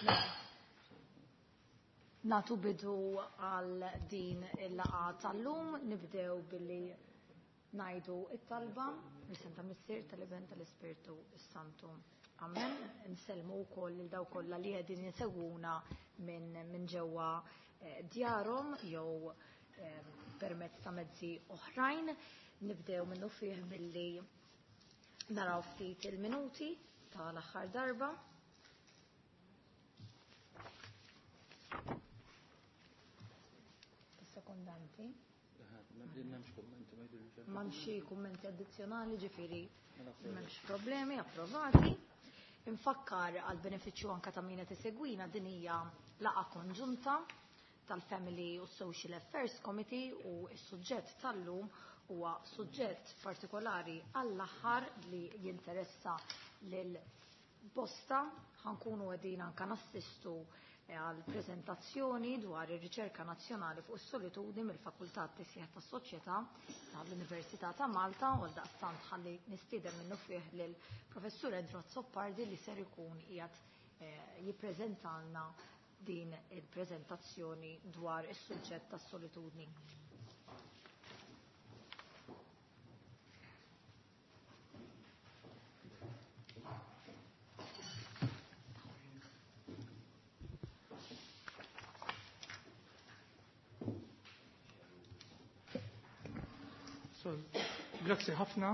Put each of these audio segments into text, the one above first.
Mela. Natu bidu għal din il-laqa tal-lum, nibdew billi najdu it-talba, l-isem ta' Missier tal-Iben tal-Ispirtu s-Santu. Amen. Nsellmu wkoll lil daw kollha li qegħdin jisegwuna minn min ġewwa eh, djarhom jew eh, permezz ta' mezzi oħrajn. Nibdew minnu fih billi naraw ftit il-minuti tal-aħħar darba. Sekondanti. M'hemmx kummenti addizzjonali, ġifieri m'hemmx problemi approvati. Infakkar għal benefiċċju anka ta' min qed isegwina din hija laqgħa konġunta tal-Family u Social Affairs Committee u s-suġġett tal-lum huwa suġġett partikolari għall-aħħar li jinteressa lil bosta. Ħankunu qegħdin anka nassistu għal prezentazzjoni dwar ir-riċerka nazzjonali fuq is-solitudni mill-Fakultà Tisjeħ tas-Soċjetà tal-Università ta' Malta u għaldaqstant ħalli nistieden minnu fih lil Professur Andrew Azzopardi li ser ikun qiegħed eh, jippreżentalna din il-preżentazzjoni dwar is-suġġett tas-solitudni. So, grazzi ħafna.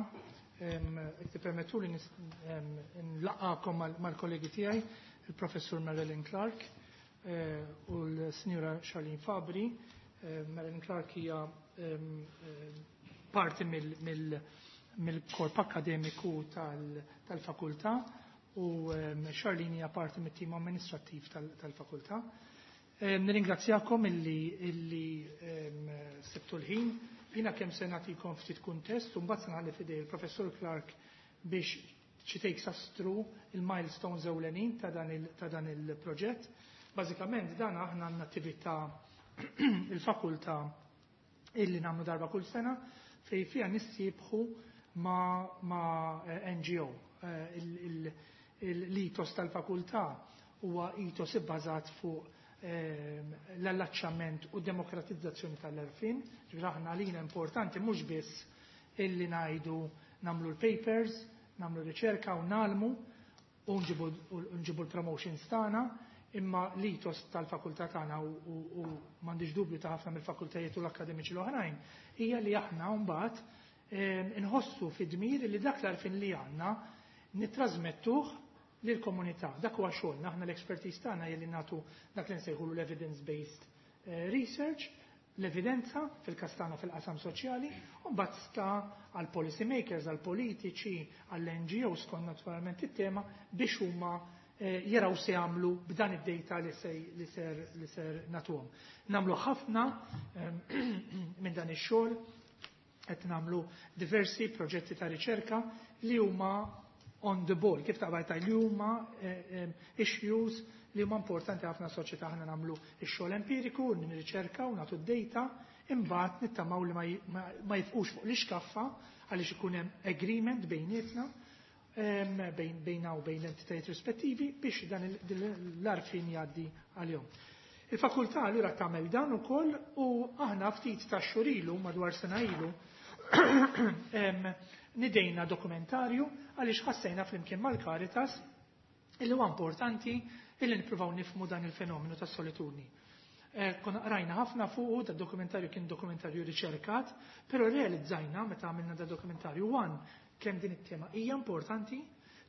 Jekk tippermettu li nlaqgħakom mal-kollegi tiegħi, il-Professur Marilyn Clark eh, u l-Sinjura Charlene Fabri. Eh, Marilyn Clark hija eh, parti mill-korp akademiku tal-fakultà u Charlene hija parti mit-tim amministrattiv tal-fakultà. Nirringrazzjakom illi, illi sibtu l-ħin. Jiena kemm se nagħtikom ftit kuntest u mbagħad se nħalli f'idej il-Professur Clark biex she takes us through il-milestones ewlenin ta' dan il-proġett. Bażikament dan aħna għandna attività il-fakultà illi nagħmlu darba kull sena fej fiha nissiebħu ma', ma NGO. L-ethos tal-fakultà huwa ethos ibbażat fuq l-allaċċament u demokratizzazzjoni tal-għarfien. Ġifieri aħna għalina importanti mhux biss illi ngħidu nagħmlu l-papers, nagħmlu riċerka u nagħlmu u nġibu l-promotions tagħna, imma l-ethos tal-fakultà tagħna u m'għandix dubju ta' ħafna mill-fakultajiet u l-akademiċi l-oħrajn hija li aħna mbagħad inħossu fid-dmir li dak l-għarfien li għandna nittrażmettuh lill-komunità. Dak huwa xogħolna, aħna l-expertise tagħna hija li nagħtu dak li nsejħulu l-evidence-based research, l-evidenza fil-każ tagħna fil-qasam soċjali, u mbagħad sta għal policy makers, għal politiċi, għall NGOs skont naturalment it-tema biex huma jaraw se jagħmlu b'dan id-data li ser li ser nagħtuhom. Nagħmlu ħafna minn dan ix-xogħol, qed nagħmlu diversi proġetti ta' riċerka li huma on the ball, kif taqbad li huma issues li huma importanti ħafna soċjetà. Aħna nagħmlu x-xogħol empiriku, nirriċerka u nagħtu d-data, imbagħad nittamaw li ma jifqux fuq l-iskaffa għaliex ikun hemm agreement bejnietna bejn bejna u bejn l-entitajiet rispettivi biex dan l-għarfien jgħaddi għalihom. Il-fakultà allura tagħmel dan ukoll u aħna ftit ta' xhur ilu, madwar sena ilu, nidejna dokumentarju għaliex ħassejna flimkien mal-Caritas illi huwa importanti illi nippruvaw nifmu dan il-fenomenu tas solitudni. Konna rajna ħafna fuqu, da dokumentarju kien dokumentarju riċerkat, però realizzajna meta għamilna da dokumentarju, one, kemm din it-tema hija importanti,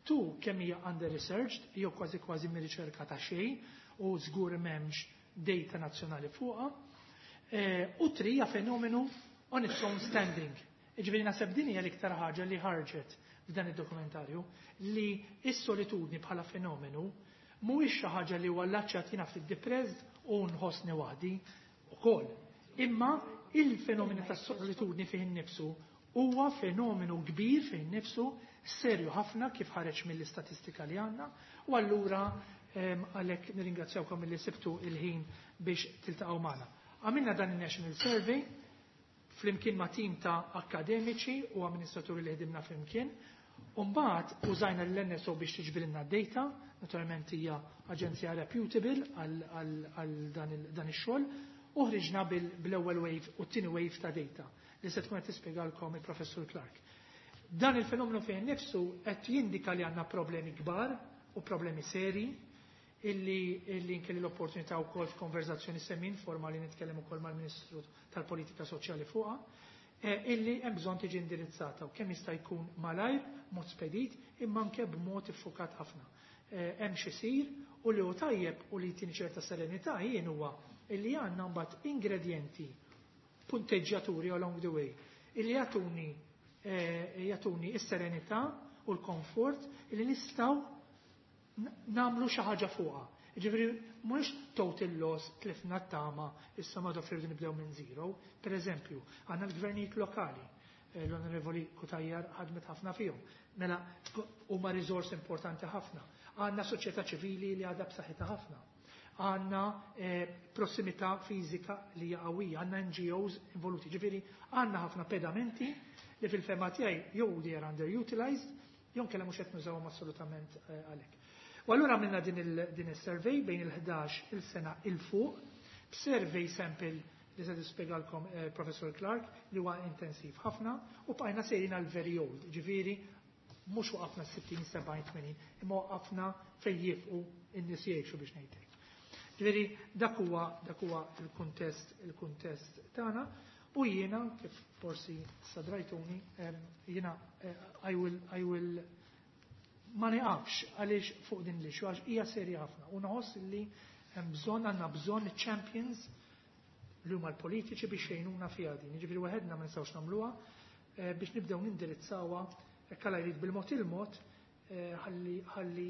two, kemm hija under researched, jew kważi kważi mi riċerka ta' xejn u żgur m'hemmx data nazzjonali fuqha, u three, hija fenomenu on its own standing. Ġifieri naħseb din hija l-iktar ħaġa li ħarġet f'dan id-dokumentarju, li s-solitudni bħala fenomenu mhuwiex xi ħaġa li huwa allaċċat jiena ftit depressed u nħossni waħdi ukoll. Imma il-fenomenu tas-solitudni fih innifsu huwa fenomenu kbir fih innifsu, serju ħafna kif ħareġ mill-istatistika li għandna, u allura għalhekk nirringrazzjawkom milli sibtu il-ħin biex tiltaqgħu magħna. Għamilna dan il-National Survey flimkien ma' tim ta' akademiċi u amministraturi li ħdimna flimkien. U mbagħad użajna l-NSO biex tiġbrilna d-data, naturalment hija aġenzija reputable għal dan ix-xogħol, u ħriġna bl-ewwel wave u t-tieni wave ta' data li se tkun qed tispjegalkom il-Professur Clark. Dan il-fenomenu fejn nifsu qed jindika li għandna problemi kbar u problemi seri illi nkelli l-opportunità wkoll f'konverzazzjoni semi informali nitkellem ukoll mal-Ministru tal-Politika Soċjali fuqha, illi hemm bżonn tiġi indirizzata u kemm jista' jkun malajr, mod spedit, imma anke b'mod iffukat ħafna. Hemm xi jsir u li hu tajjeb u li jtini ċerta serenità jien huwa illi għandna mbagħad ingredjenti punteġġjaturi along the way illi jagħtuni s-serenità u l-komfort illi nistgħu nagħmlu xi ħaġa fuqha. Ġifieri mhux total loss, tlifna t-tama, issa ma irridu nibdew minn zero. Per eżempju, għandna l-gvernijiet lokali, l-Onorevoli Cutajar ħadmet ħafna fihom. Mela huma riżors importanti ħafna. Għandna soċjetà ċivili li għadha b'saħħitha ħafna. Għandna prossimità fiżika li hija qawwija, għandna NGOs involuti. Ġifieri għandna ħafna pedamenti li fil-fehma tiegħi jew they are underutilized, jew kellha mhux qed nużawhom assolutament għalhekk. U allura għamilna din il-survey bejn il-11 il-sena 'il fuq, b'survey sample li se tispjegalkom Professor Clark li huwa intensiv ħafna u bqajna sejrin għal very old, ġifieri mhux waqafna 60, 70, 80, imma waqafna fejn jifqu n-nies jgħixu biex ngħidlek. Ġifieri dak huwa il-kuntest tagħna u jiena kif forsi sadrajtuni, jiena I will ma niqafx għaliex fuq din l-issue għax hija serja ħafna u nħoss li hemm bżonn għandna bżonn champions li huma l-politiċi biex jgħinuna fiha din. Jiġifieri waħedna ma nistgħux nagħmluha biex nibdew nindirizzawha hekk Alla jrid bil-mod il-mod ħalli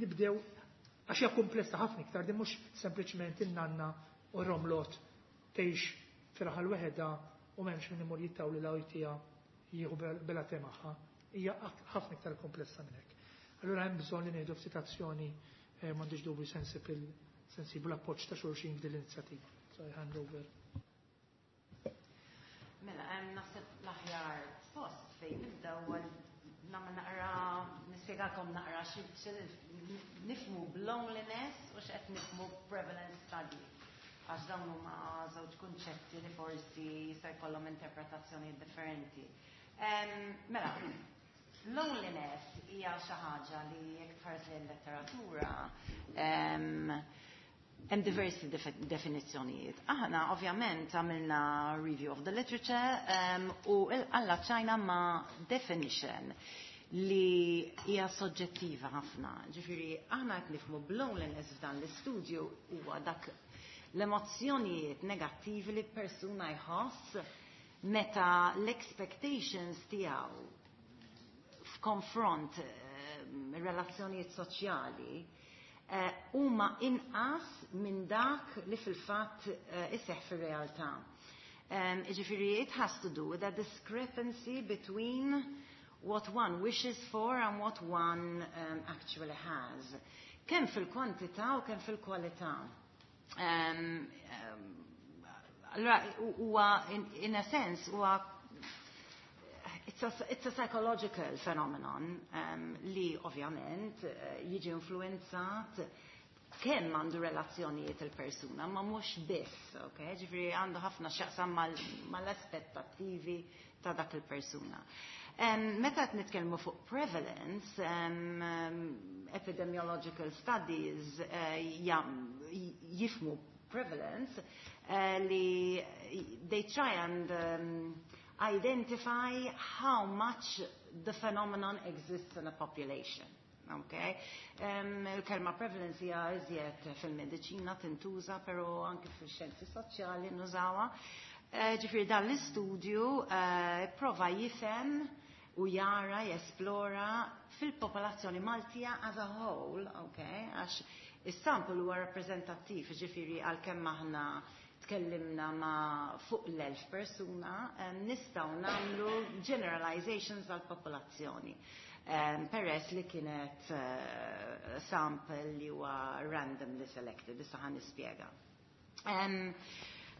nibdew għax hija komplessa ħafna iktar din mhux sempliċement in-nanna u romlot tgħix fir-raħal weħeda u m'hemmx min imur jittawli la jtija jieħu bela magħha. Hija ħafna iktar komplessa minn hekk. Allura hemm bżonn li nieħdu ftit azzjoni m'għandix dubju sensibu l-appoġġ ta' xulxin f'din l-inizjattiva. So I hand over. Mela, hemm naħseb l-aħjar post fejn nibda huwa nagħmel naqra nispjegakom naqra xi nifhmu b'loneliness u x'qed nifhmu prevalence study. Għax dawn huma żewġ kunċetti li forsi jista' jkollhom interpretazzjoni differenti. Mela, loneliness hija xi ħaġa li jekk tħares lejn letteratura hemm diversi definizzjonijiet. Aħna ovvjament għamilna review of the literature u allaċċajna ma' definition li hija soġġettiva ħafna. Ġifieri aħna qed nifhmu b'loneliness f'dan l-istudju huwa dak l-emozzjonijiet negattivi li persuna jħoss meta l-expectations tiegħu f'konfront relazzjonijiet soċjali huma inqas minn dak li fil-fatt iseħħ fir-realtà. Ġifieri it has to do with a discrepancy between what one wishes for and what one actually has. Kemm fil-kwantità u kemm fil-kwalità. Allora, huwa in a sense huwa it's a psychological phenomenon li ovvjament jiġi influenzat kemm għandu relazzjonijiet il-persuna, ma mhux biss, ok? Ġifieri għandu ħafna x'jaqsam mal-aspettattivi ta' dak il-persuna. Meta qed nitkellmu fuq prevalence, epidemiological studies jifhmu prevalence li they try and identify how much the phenomenon exists in a population. Okay? Il-kelma prevalence hija iżjed fil-mediċina tintuża, però anke fil-xjenzi soċjali nużawha. Ġifieri dan l-istudju prova jifhem u jara, jesplora fil-popolazzjoni Maltija as a whole, okay? Għax is-sample huwa rappreżentattiv, ġifieri għalkemm aħna tkellimna ma' fuq l-1000 persuna, nistgħu nagħmlu generalizations għal-popolazzjoni. Peress li kienet sample li huwa randomly selected, issa ħa nispjega. Um,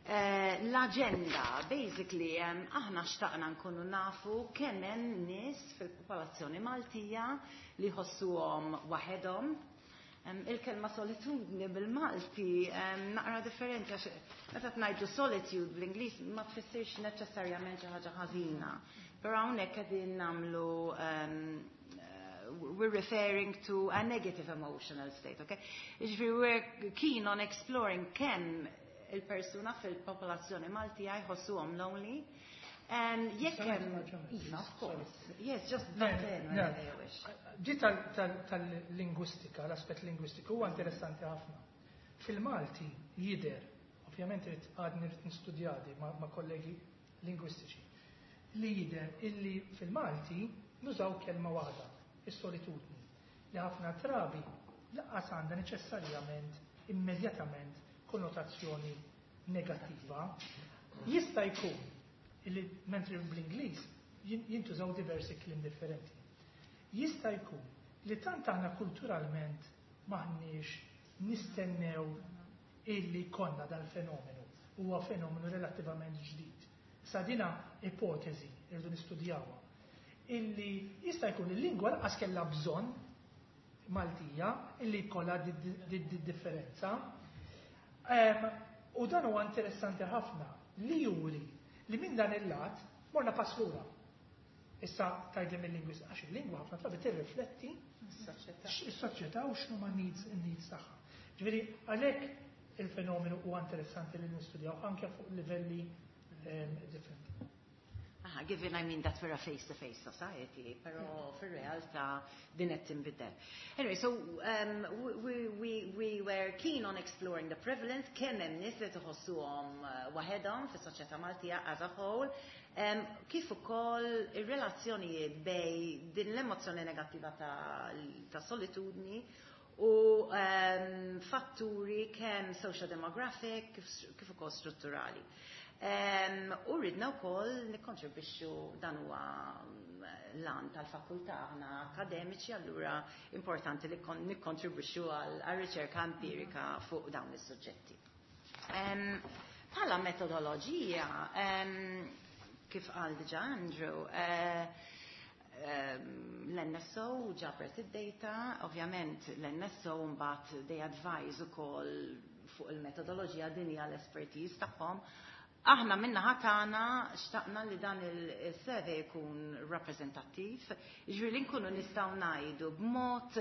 L-agenda, basically, aħna xtaqna nkunu nafu kemm hemm nies fil-popolazzjoni Maltija li jħossuhom waħedhom. Il-kelma solitudni bil-Malti naqra differenti, għax meta tgħidu solitude bl-Ingliż ma tfissirx neċessarjament xi ħaġa ħażina. Però hawnhekk qegħdin nagħmlu we're referring to a negative emotional state, okay? Jiġifieri we're keen on exploring kemm il-persuna fil-popolazzjoni Maltija jħossuhom lonely. And jekk hemm. Iva, of course. Yes, just butt in whenever you wish. Ġi tal-lingwistika, l-aspett lingwistiku huwa interessanti ħafna. Fil-Malti jider, ovvjament irid għadni rrid nistudjadi ma' kollegi lingwistiċi, li jider illi fil-Malti nużaw kelma waħda, is-solitudni, li ħafna drabi lanqas għandha neċessarjament immedjatament konnotazzjoni negattiva. Jista' jkun illi mentri bl-Ingliż jintużaw diversi kliem differenti. Jista' jkun li tant aħna kulturalment maħniex nistennew illi konna dal-fenomenu. Huwa fenomenu relattivament ġdid. Sa dina ipotezi irridu nistudjawha. Illi jista' jkun il-lingwa lanqas kellha bżonn Maltija illi jkollha di differenza. U dan huwa interessanti ħafna li juri li minn dan il-lat morna pass lura. Issa tgħidli mill-lingwist, għax il-lingwa ħafna drabi tirrifletti is-soċjetà u x'numa needs tagħha. Ġifieri għalhekk il-fenomenu huwa interessanti li nistudjaw anke fuq livelli differenti. Aha, given, I mean, that we're a face-to-face society, però fil-realtà din qed tinbidel. Anyway, so we were keen on exploring the prevalence, kemm hemm nies li tħossuhom waħedhom fis-soċjetà Maltija as a whole, kif ukoll ir-relazzjonijiet bejn din l-emozzjoni negattiva ta' solitudni u fatturi kemm socio-demographic kif ukoll strutturali. U ridna wkoll nikkontribwixxu, dan huwa l-għan tal-fakultà, aħna akademiċi, allura importanti li nikkontribwixxu għal riċerka empirika fuq dawn is-suġġetti. Bħala metodoloġija, kif qal diġà Andrew, l-NSO ġabret id-data, ovvjament l-NSO mbagħad they advise ukoll fuq il-metodoloġija, din hija l-expertise tagħhom. Aħna min-naħa tagħna xtaqna li dan il-survey jkun rappreżentattiv, jiġifieri li nkunu nistgħu ngħidu b'mod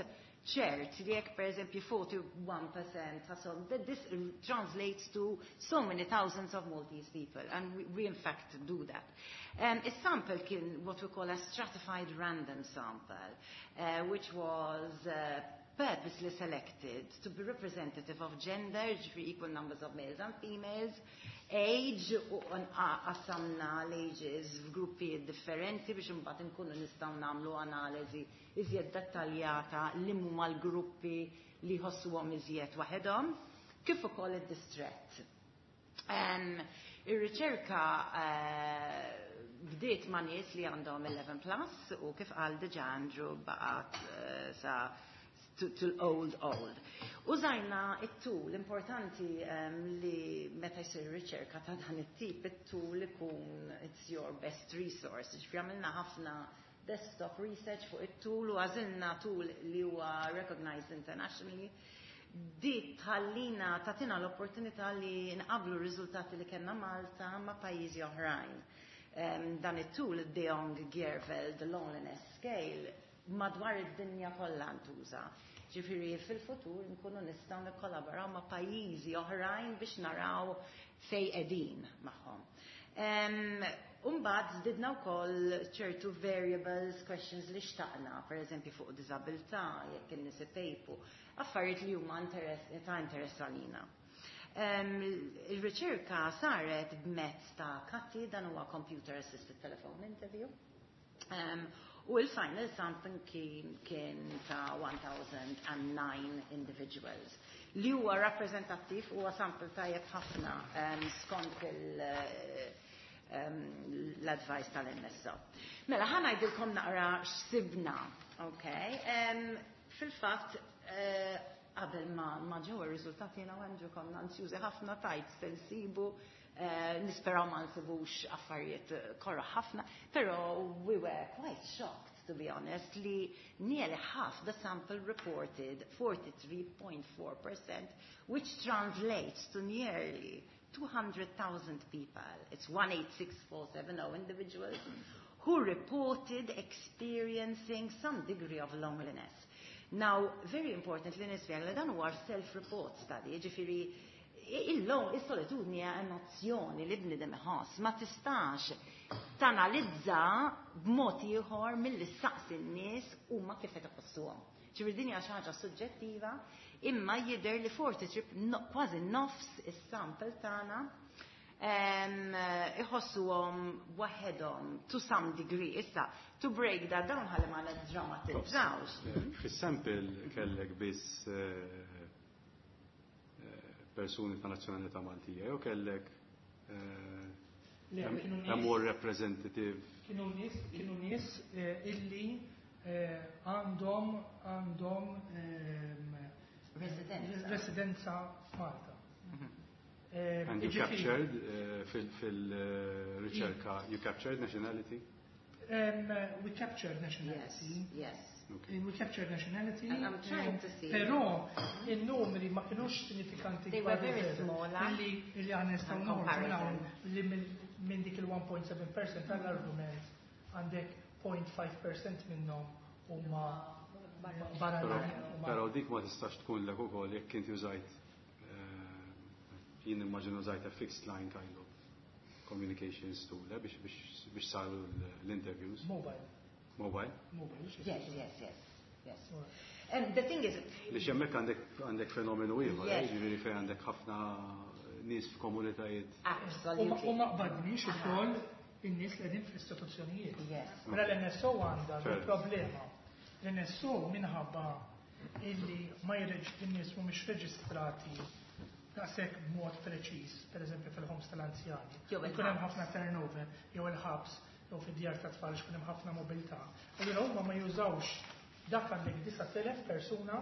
ċert li jekk per eżempju 41% ħassom, that this translates to so many thousands of Maltese people, and we in fact do that. Is-sample kien what we call a stratified random sample, which was purposely selected to be representative of gender, ġifieri equal numbers of males and females, age, u qassamna l-ages f'gruppi differenti biex imbagħad inkunu nistgħu nagħmlu analiżi iżjed dettaljata li huma l-gruppi li jħossuhom iżjed waħedhom, kif ukoll id-distrett. Ir-riċerka bdiet ma' nies li għandhom 11 plus u kif qal diġà Andrew baqgħet sa to old old. Użajna it-tool, importanti li meta jsir riċerka ta' dan it-tip, it-tool ikun it's your best resource. Ġifieri għamilna ħafna desktop research fuq it-tool u għażilna tool li huwa recognized internationally. Dik tħallina tatina l-opportunità li nqablu r-riżultati li kellna Malta ma' pajjiżi oħrajn. Dan it-tool, De Jong Gierveld, the Loneliness Scale, madwar id-dinja kollha ntuża. Ġifieri fil-futur nkunu nistgħu nikkollaboraw ma' pajjiżi oħrajn biex naraw fej qegħdin magħhom. Umbagħad żdidna wkoll ċertu variables, questions li xtaqna, per eżempju fuq diżabilità, jekk in-nies ipejpu, affarijiet li huma ta' interess għalina. Il-riċerka saret b'mezz ta' CATI, dan huwa Computer Assisted Telephone Interview. U il-final sampling kien ta' 1009 individuals. Li huwa rappreżentattiv, huwa sample tajjeb ħafna skont l-advice tal-NSO. Mela, ħa ngħidilkom naqra x'sibna, okay? Fil-fatt, qabel ma ġew ir-riżultati jiena u Andrew konna ansjużi ħafna tajt se nsibu. Nisperaw ma nsibux affarijiet korra ħafna, però we were quite shocked, to be honest, li nearly half the sample reported 43.4%, which translates to nearly 200,000 people. It's 186,470 individuals who reported experiencing some degree of loneliness. Now, very importantly, nispjega li dan huwa self-report study, ġifieri il-lon, is-solitudni hija emozzjoni li bniedem iħoss, ma tistax tanalizza b'mod ieħor milli ssaqsi n-nies huma kif qed iħossuhom. Ġifieri din hija xi ħaġa suġġettiva, imma jidher li 43, kważi nofs is-sample tagħna iħossuhom waħedhom to some degree. Issa, to break that down ħalli ma niddrammatizzawx. Fis-sample kellek biss persuni ta' nazzjonalità Maltija, jew kellek Le, kienu a more representative? Kienu nies illi għandhom Residenza. residenza f'Malta. And you Ġifieri- captured fil-riċerka, you captured nationality? We captured nationality. Yes. Okay. We captured nationality. And I'm trying to see. Però il-numri ma kienux sinifikanti. They were kważi very zero. small, eh? Illi aħna nistgħu In noħorġu minn comparison. hawn li minn dik il-1.7% tal-argument għandek 0.5% minnhom huma barra Però dik ma tistax tkun lek ukoll jekk inti użajt, jien immaġinu użajt a fixed line kind of communications tool biex saru l-interviews. Mobile. Mobile? Mobile. Yes. And the thing is, Li hemmhekk għandek fenomenu ieħor, ġifieri fejn għandek ħafna nies f'komunitajiet. Absolutely. U ma qbadniex ukoll in-nies li qegħdin fl-istituzzjonijiet. Mela l-NSO għandha il-problema. L-NSO minħabba illi ma jreġ in-nies mhumiex reġistrati daqshekk b'mod preċiż, pereżempju fil-homes tal-anzjani. Jew Ikun hemm il-ħabs. ħafna turnover, jew il-ħabs, jew fid-djar ta' tfal ikun hemm ħafna mobilità. Allura huma ma jużawx dak. Għandek 9,000 persuna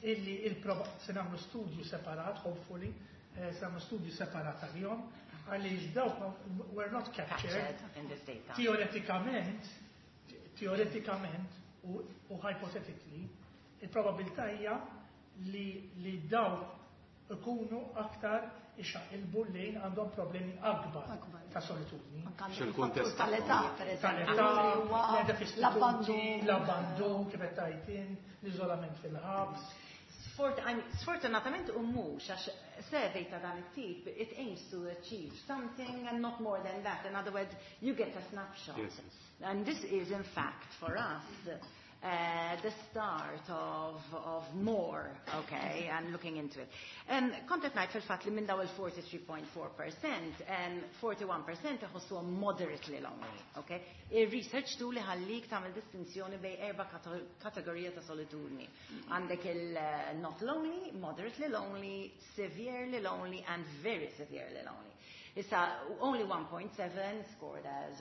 illi il-proba se nagħmlu studju separat, hopefully, se nagħmlu studju separat għalihom, għaliex dawk were not captured. Captured in this data. Teoretikament u hypothetically, il-probabilità hija li dawk ikunu aktar ixaqilbu lejn għandhom problemi akbar Akbar. ta' solitudni. Anka għandek X'il-kuntest il-fattur tal-età, per eżempju, Tal-età, li huwa l-età fl-istituti, l-abbandun. l-abbandun, kif qed tgħid, l-iżolament fil-ħabs. I mean, sfortunatament u mhux, għax survey ta' dan it-tip, it aims to achieve something and not more than that. In other words, you get a snapshot. Yes. And this is, in fact, for us, the start of more, okay, and looking into it. Kont qed ngħid fil-fatt li minn daw il-43.4%, 41% iħossuhom moderately lonely, okay? Il-research tu li ħallik tagħmel distinzjoni bejn erba' kategorija ta' solitudni. Għandek il-not lonely, moderately lonely, severely lonely, and very severely lonely. Issa, only 1.7 scored as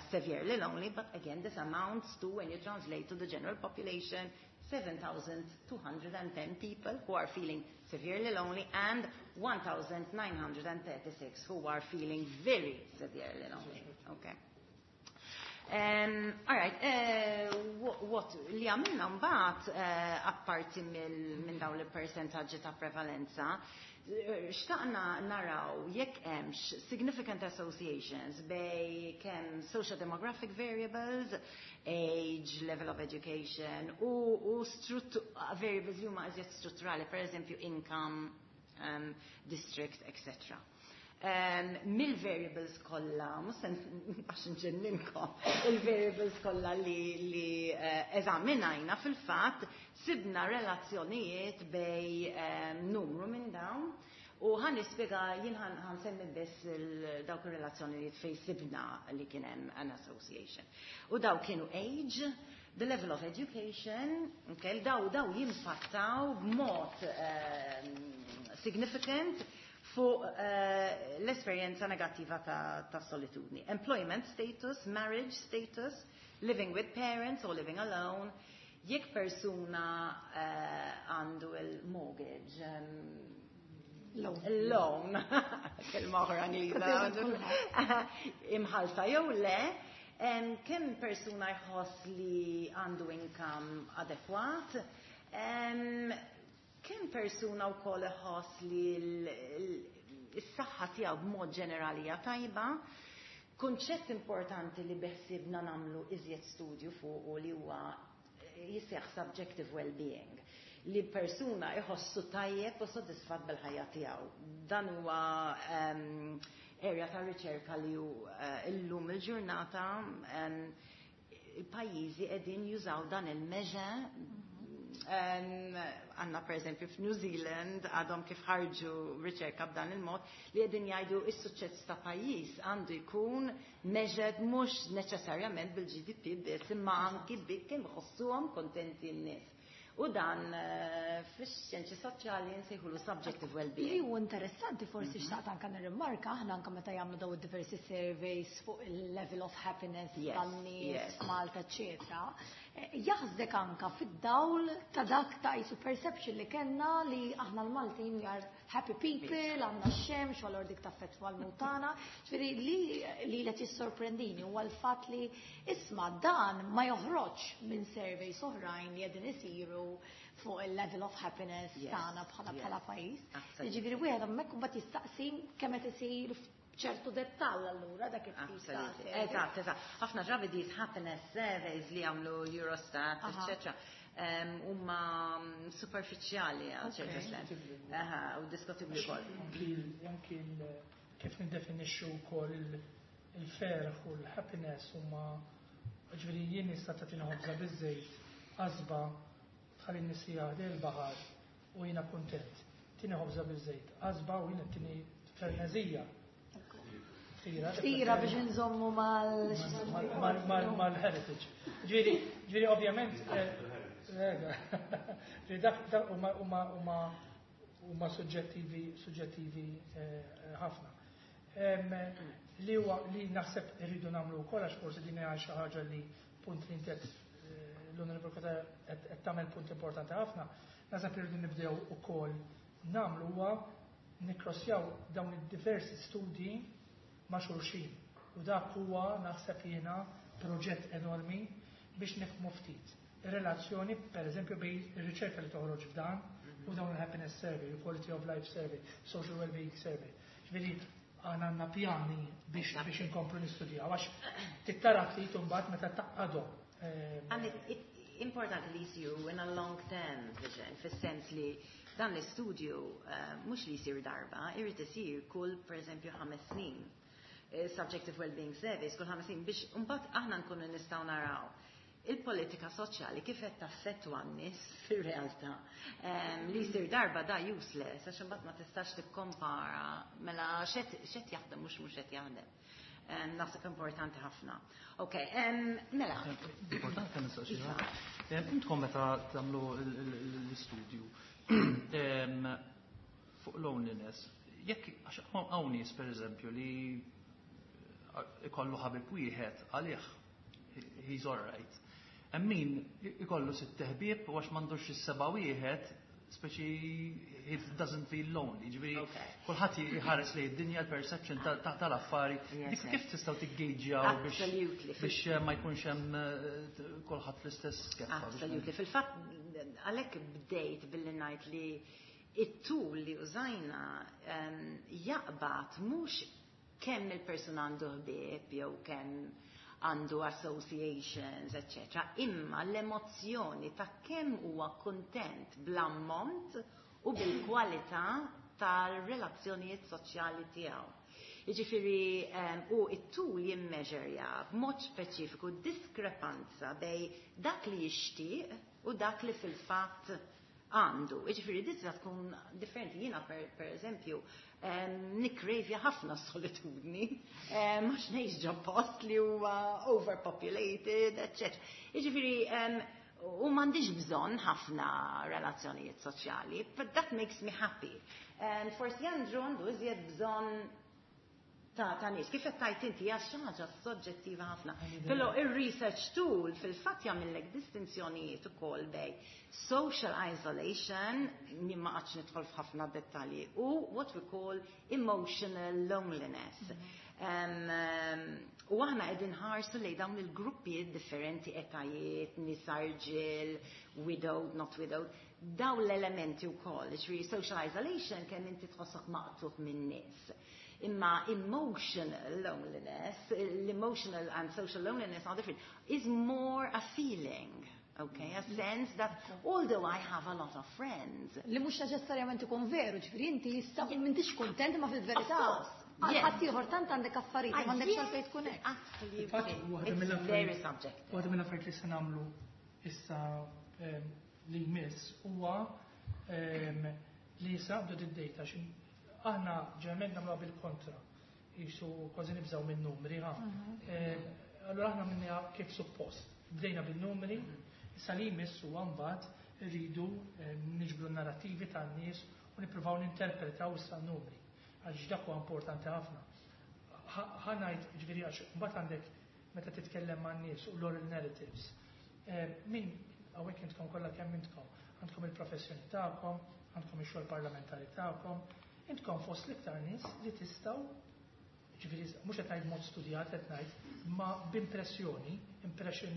severely lonely, but again, this amounts to, when you translate to the general population, 7,210 people who are feeling severely lonely and 1,936 who are feeling very severely lonely. Okay. All right, what li għamilna mbagħad apparti minn dawn il-percentaġġi ta' prevalenza, xtaqna naraw jekk hemmx significant associations bejn kemm social demographic variables, age, level of education, u variables li huma iżjed strutturali, per eżempju income, district, etc. Mill-variables kollha, mhux se għax nġenninkom, il-variables kollha li eżaminajna fil-fatt sibna relazzjonijiet bejn numru minn dawn u ħa nispjega jien ħa nsemmi biss dawk ir-relazzjonijiet fejn sibna li kien hemm an association. U daw kienu age, the level of education, okay, daw jimpattaw b'mod significant fuq l-esperjenza negattiva ta' solitudni. Employment status, marriage status, living with parents or living alone, jekk persuna għandu il-mortgage, Lone, kelma oħra Ingliża, imħallsa jew le, kemm persuna jħoss li għandu income adekwat, kemm persuna wkoll iħoss li s-saħħa tiegħu b'mod ġenerali hija tajba. Kunċett importanti li beħsibna nagħmlu iżjed studju fuq u li huwa jisseħ subjective well-being, li persuna iħossu tajjeb u sodisfat bil-ħajja tiegħu. Dan huwa area ta' riċerka li hu illum il-ġurnata il-pajjiżi qegħdin jużaw dan il-measure. Għandna per eżempju f'New Zealand għadhom kif ħarġu riċerka b'dan il-mod li qegħdin jgħidu is-suċċess ta' pajjiż għandu jkun measured mhux neċessarjament bil-GDP biss, imma anki bi kemm iħossuhom kontenti n-nies. U dan fix-xjenzi soċjali nsejħulu subjective well-being. Li hu interessanti, forsi xtaqt anka nirrimarka, aħna anka meta jagħmlu daw diversi surveys fuq il-level of happiness tan-nies Malta, eċetera. Jaħsdek anka fid-dawl ta' dak ta' jisu perception li kellna li aħna l-Maltin we are happy people, għandna x-xemx, u allura dik taffettwa l-mutana. Ġifieri li qed jissorprendini huwa l-fatt li isma' dan ma joħroġ minn surveys oħrajn li qegħdin isiru fuq il-level of happiness tagħna bħala pajjiż. Jiġifieri wieħed hemmhekk imbagħad jistaqsi kemm qed isir ċertu dettall allura dak it-tip ta' survey. Eżatt. Ħafna drabi these happiness surveys li jagħmlu Eurostat, eccetera, huma superfiċjali għal ċertu sens. Aha, u diskutibbli wkoll. Anki kif niddefinixxu wkoll il-ferħ u l-happiness huma, ġifieri jien nista' tagħtina ħobża biż-żejt, qasba, tħalli nisija il-baħar u jiena kuntent. Tini ħobża biż-żejt, qasba u jiena tini fernezija. Ftira. Ftira biex nżommu mal mal-heritage. Ġifieri ovvjament, ġifieri dak huma suġġettivi ħafna. Li huwa li naħseb irridu nagħmlu wkoll, għax forsi din hija xi ħaġa li punt li inti l-Onorevoli Cutajar qed tagħmel punt importanti ħafna, naħseb irridu nibdew ukoll nagħmlu huwa nikkrossjaw dawn id-diversi studji ma' xulxin. U dak huwa naħseb jiena proġett enormi biex nifhmu ftit ir-relazzjoni, per eżempju, bejn ir-riċerka li toħroġ f'dan u dawn il-happiness survey, il-quality of life survey, social well-being survey. Ġifieri għandna għandna pjani biex inkomplu nistudjaw, għax tittara ftit imbagħad meta taqgħadhom. And it importanti li jisiru in a long term vision, fis-sens li dan l-istudju mhux li jsir darba, irid isir kull per eżempju 5 snin. Subjective Well-Being Surveys kull 5 snin biex mbagħad aħna nkunu nistgħu naraw il-politika soċjali kif qed taffettwa n-nies fir-realtà. Li jsir darba da useless, għax imbagħad ma tistax tikkompara mela x'qed jaħdem mhux qed jaħdem. Naħseb importanti ħafna. Ok, mela. Importanti kemm nistaqsi. Intkom meta tagħmlu l-istudju fuq loneliness, jekk għax hawn nies pereżempju li ikollu ħabib wieħed, għalih he's all right. Hemm min ikollu sitt ħbieb u għax m'għandux is-seba' wieħed, speċi he doesn't feel lonely. Ġifieri kulħadd jħares li d-dinja, l-perception tal-affari. Dik kif tistgħu tiggejġjaw biex ma jkunx hemm kulħadd fl-istess keffa? Absolutely. Fil-fatt għalhekk bdejt billi ngħid li it-tool li użajna jaqbad mhux kemm il-persuna għandu ħbieb jew kemm għandu associations, etc. Imma l-emozzjoni ta' kemm huwa kontent bl-ammont u bil-kwalità tal-relazzjonijiet soċjali tiegħu. Jiġifieri u it-tool jimmeġerja b'mod speċifiku diskrepanza bejn dak li jixtieq u dak li fil-fatt għandu. Jiġifieri tista' tkun differenti. Jiena per eżempju nikkrejvja ħafna solitudni, għax ngħix ġo post li huwa overpopulated, etc. Jiġifieri u m'għandix bżonn ħafna relazzjonijiet soċjali, but that makes me happy. Forsi Andrew għandu iżjed bżonn Ta' nies. Kif qed tgħid inti, hija xi ħaġa soġġettiva ħafna. Però ir-research tool fil-fatt jagħmellek distinzjonijiet ukoll bejn social isolation, ma qgħadx nidħol f'ħafna dettalji, u what we call emotional loneliness. U aħna qegħdin nħarsu lejn dawn il-gruppi differenti, etajiet, nisa, rġiel, widowed, not widowed, dawn l-elementi wkoll. Ġifieri social isolation kemm inti tħossok maqtugħ minn nies. Imma emotional loneliness, l-emotional and social loneliness are different, is more a feeling, okay? A sense that although I have a lot of friends. Li mhux neċessarjament ikun veru, ġifieri inti jista' m'intix kontent, ma fil-verità. Għal ieħor tant għandek affarijiet, m'għandekx għalfejn tkun hekk. Absolutely. It's very subjective. Waħda mill-affarijiet li se nagħmlu issa li jmiss huwa li naqbdu d-data. Aħna ġeneralment nagħmluha bil-kontra. Jisu kważi nibżgħu minn numri, ha. Allura aħna minna kif suppost. Bdejna bil-numri, issa li jmiss huwa mbagħad rridu niġbru narrativi tan-nies u nippruvaw ninterpretaw issa n-numri. Għaliex dak huwa importanti ħafna. Ħa ngħid, ġifieri, għax mbagħad għandek meta titkellem man-nies u l-oral narratives. Min hawnhekk intkom kollha kemm intkom, għandkom il-professjoni tagħkom, għandkom ix-xogħol parlamentari tagħkom, intkom fost l-iktar nies li tistgħu, ġifieri mhux qed ngħid mod studjat qed ngħid, ma b'impressjoni, impression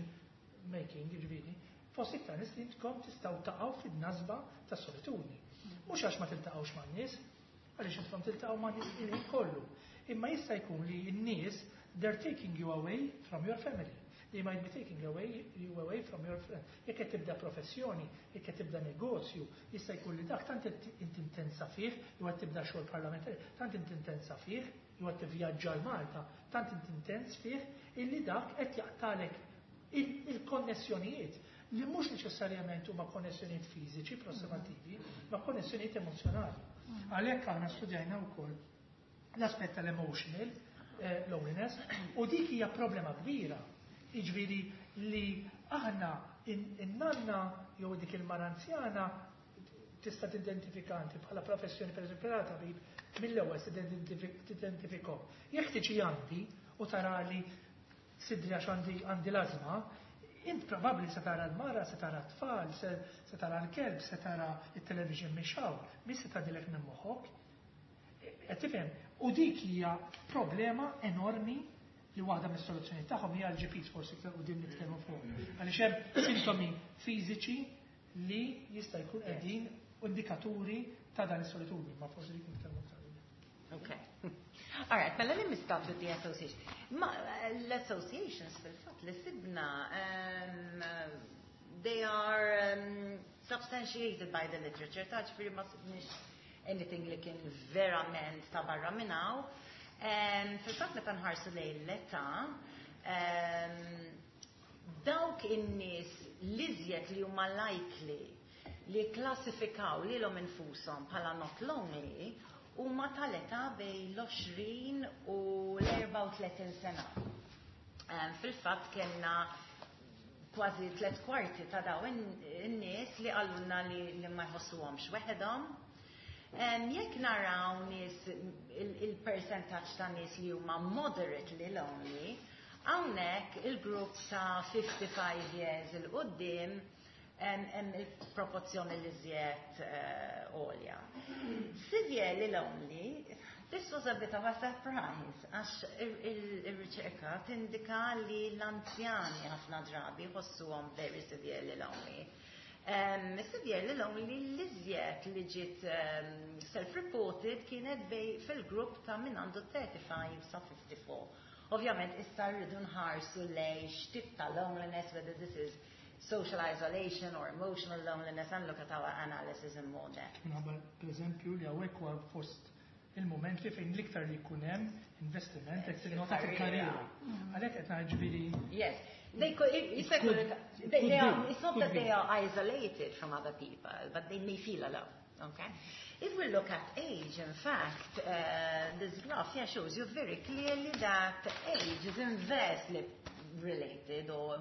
making, ġifieri, fost iktar nies li intkom tistgħu taqgħu fid-nasba ta' solitudni. Mhux għax ma tiltaqgħux man-nies, għaliex intkom tiltaqgħu ma' nies il kollu. Imma jista' jkun li n-nies, they're taking you away from your family. They might be taking you away from your friend. Jekk qed tibda professjoni, jekk qed tibda negozju, jista' jkun li dak tant inti intensa fih, jew qed tibda xogħol parlamentari, tant inti intensa fih, jew qed tivvjaġġa l-Malta, tant inti intens fih, illi dak qed jaqtalek il-konnessjonijiet li mhux neċessarjament huma konnessjonijiet fiżiċi prossimativi, ma konnessjonijiet emozjonali. Għalhekk aħna studjajna wkoll l-aspett tal-emotional loneliness u dik hija problema kbira. Jiġifieri li aħna in-nanna jew dik il-mara anzjana tista' tidentifika inti bħala professjoni, pereżempju bħala tabib, mill-ewwel tidentifikhom. Jekk tiġi għandi u tara li sidri għax għandi l-ażma, int probabbli se tara l-mara, se tara t-tfal, se tara l-kelb, se tara il-television mixgħul, mhix se tgħaddilek minn moħħok. Qed tifhem? U dik hija problema enormi li waħda mis-soluzzjoni tagħhom hija l-GPs, forsi iktar quddiem nitkellmu fuq. Għaliex hemm sintomi fiżiċi li jista' jkun qegħdin indikaturi ta' dan is-solitudni, ma forsi dik nitkellmu aktar. Okay. All right, mela let me start with the association. Ma, l-associations fil-fatt li sibna, they are substantiated by the literature, ta' ġifieri ma sibniex anything li kien verament ta' barra minn hawn. Fil-fatt meta nħarsu lejn l-età, dawk in-nies l-iżjed li huma likely li klassifikaw lilhom infushom bħala not lonely huma tal-età bejn l-20 u l-34 sena. Fil-fatt kellna kważi 3/4 ta' dawn in-nies li qalulna li ma jħossuhomx weħedhom. Jekk naraw nies il-percentaġġ ta' nies li huma moderately lonely, hawnhekk il-grupp ta' 55 years 'il quddiem hemm il-proporzjoni li żjed għolja. Severely lonely, this was a bit of a surprise, għax il-riċerka tindika li l-anzjani ħafna drabi jħossuhom very severely lonely. Severely lonely l-iżjed li ġiet self-reported kienet bej fil-grupp ta' min għandu 35 sa 54. Ovvjament issa rridu nħarsu lej x'tip ta' loneliness, whether this is social isolation or emotional loneliness, and look at our analysis in more depth. Minħabba, per eżempju, li hawnhekk huwa fost il-moment li fejn l-iktar li jkun hemm investiment qed tinnota fil-karriera. Għalhekk qed ngħid ġifieri. Yes. They could, it, it's, It they, could they are, be. It's not Could that be. they are isolated from other people, but they may feel alone. Okay? If we look at age, in fact, this graph here shows you very clearly that age is inversely related or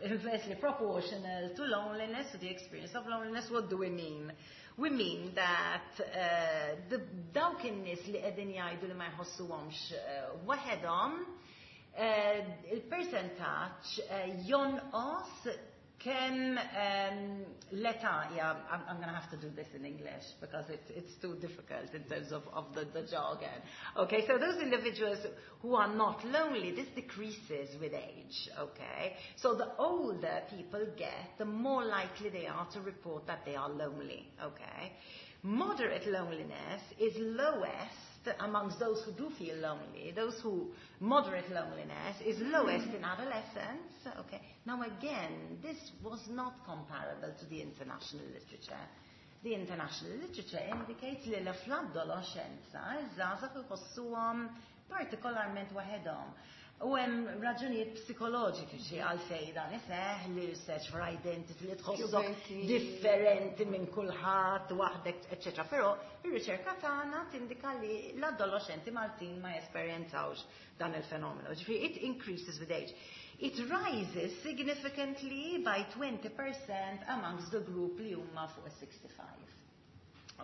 inversely proportional to loneliness, to the experience of loneliness. What do we mean? We mean that dawk in-nies li qegħdin jgħidu li ma jħossuhomx waħedhom, il-percentaġġ jonqos kemm l-età, yeah, I'm going to have to do this in English because it's too difficult in terms of the jargon. Okay, so those individuals who are not lonely, this decreases with age, okay? So the older people get, the more likely they are to report that they are lonely, okay? Moderate loneliness is lowest amongst those who do feel lonely. Those who moderate loneliness is lowest in adolescence. Okay. Now again, this was not comparable to the international literature. The international literature indicates li fl-adolescenza iż-żgħażagħ iħossuhom partikolarment waħedhom. U hemm raġunijiet psikoloġiċi għalfejn dan iseħħ, li search for identity, li tħossok differenti minn kulħadd, waħdek, eċetera. Però ir-riċerka tagħna tindika li l-adolescenti Maltin ma jesperjenzawx dan il-fenomenu. Ġifieri it increases with age. It rises significantly by 20% amongst the group li huma fuq 65.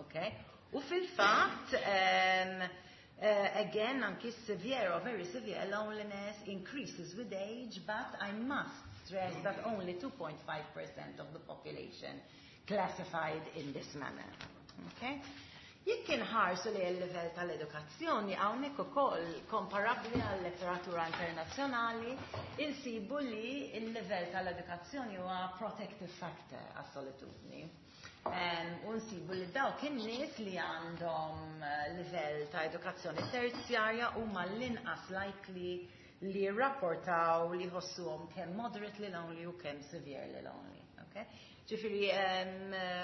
Okay? U fil-fatt, again, anki severe or very severe loneliness increases with age, but I must stress that only 2.5% of the population classified in this manner. Okay? Jekk inħarsu li l-level tal-edukazzjoni, hawnhekk ukoll komparabbli għal letteratura internazzjonali, insibu li l-level tal-edukazzjoni huwa protective factor għas-solitudni. U nsibu li dawk in-nies li għandhom livell ta' edukazzjoni terzjarja huma l-inqas likely li rapportaw li ħossuhom kemm moderately lonely u kemm severely lonely. Okay? Ġifieri,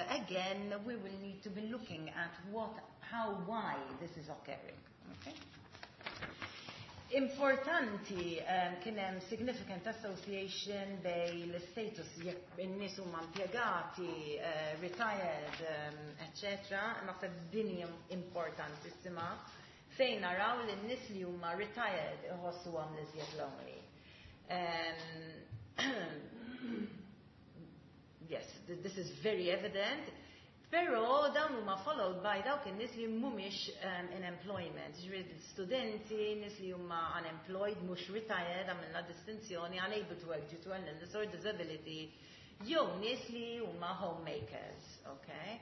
again, we will need to be looking at what, how, why this is occurring. Okay? Importanti, kien hemm significant association bejn l-status, jekk in-nies huma impjegati, retired, etc. Naħseb din hija importantissima fejn naraw li n-nies li huma retired iħossuhom l-iżjed lonely. Yes, this is very evident. Però dawn huma followed by dawk in-nies li mhumiex in employment, ġifieri studenti, nies li huma unemployed, mhux retired, għamilna distinzjoni, unable to work due to an illness or disability, jew nies li huma homemakers, okay?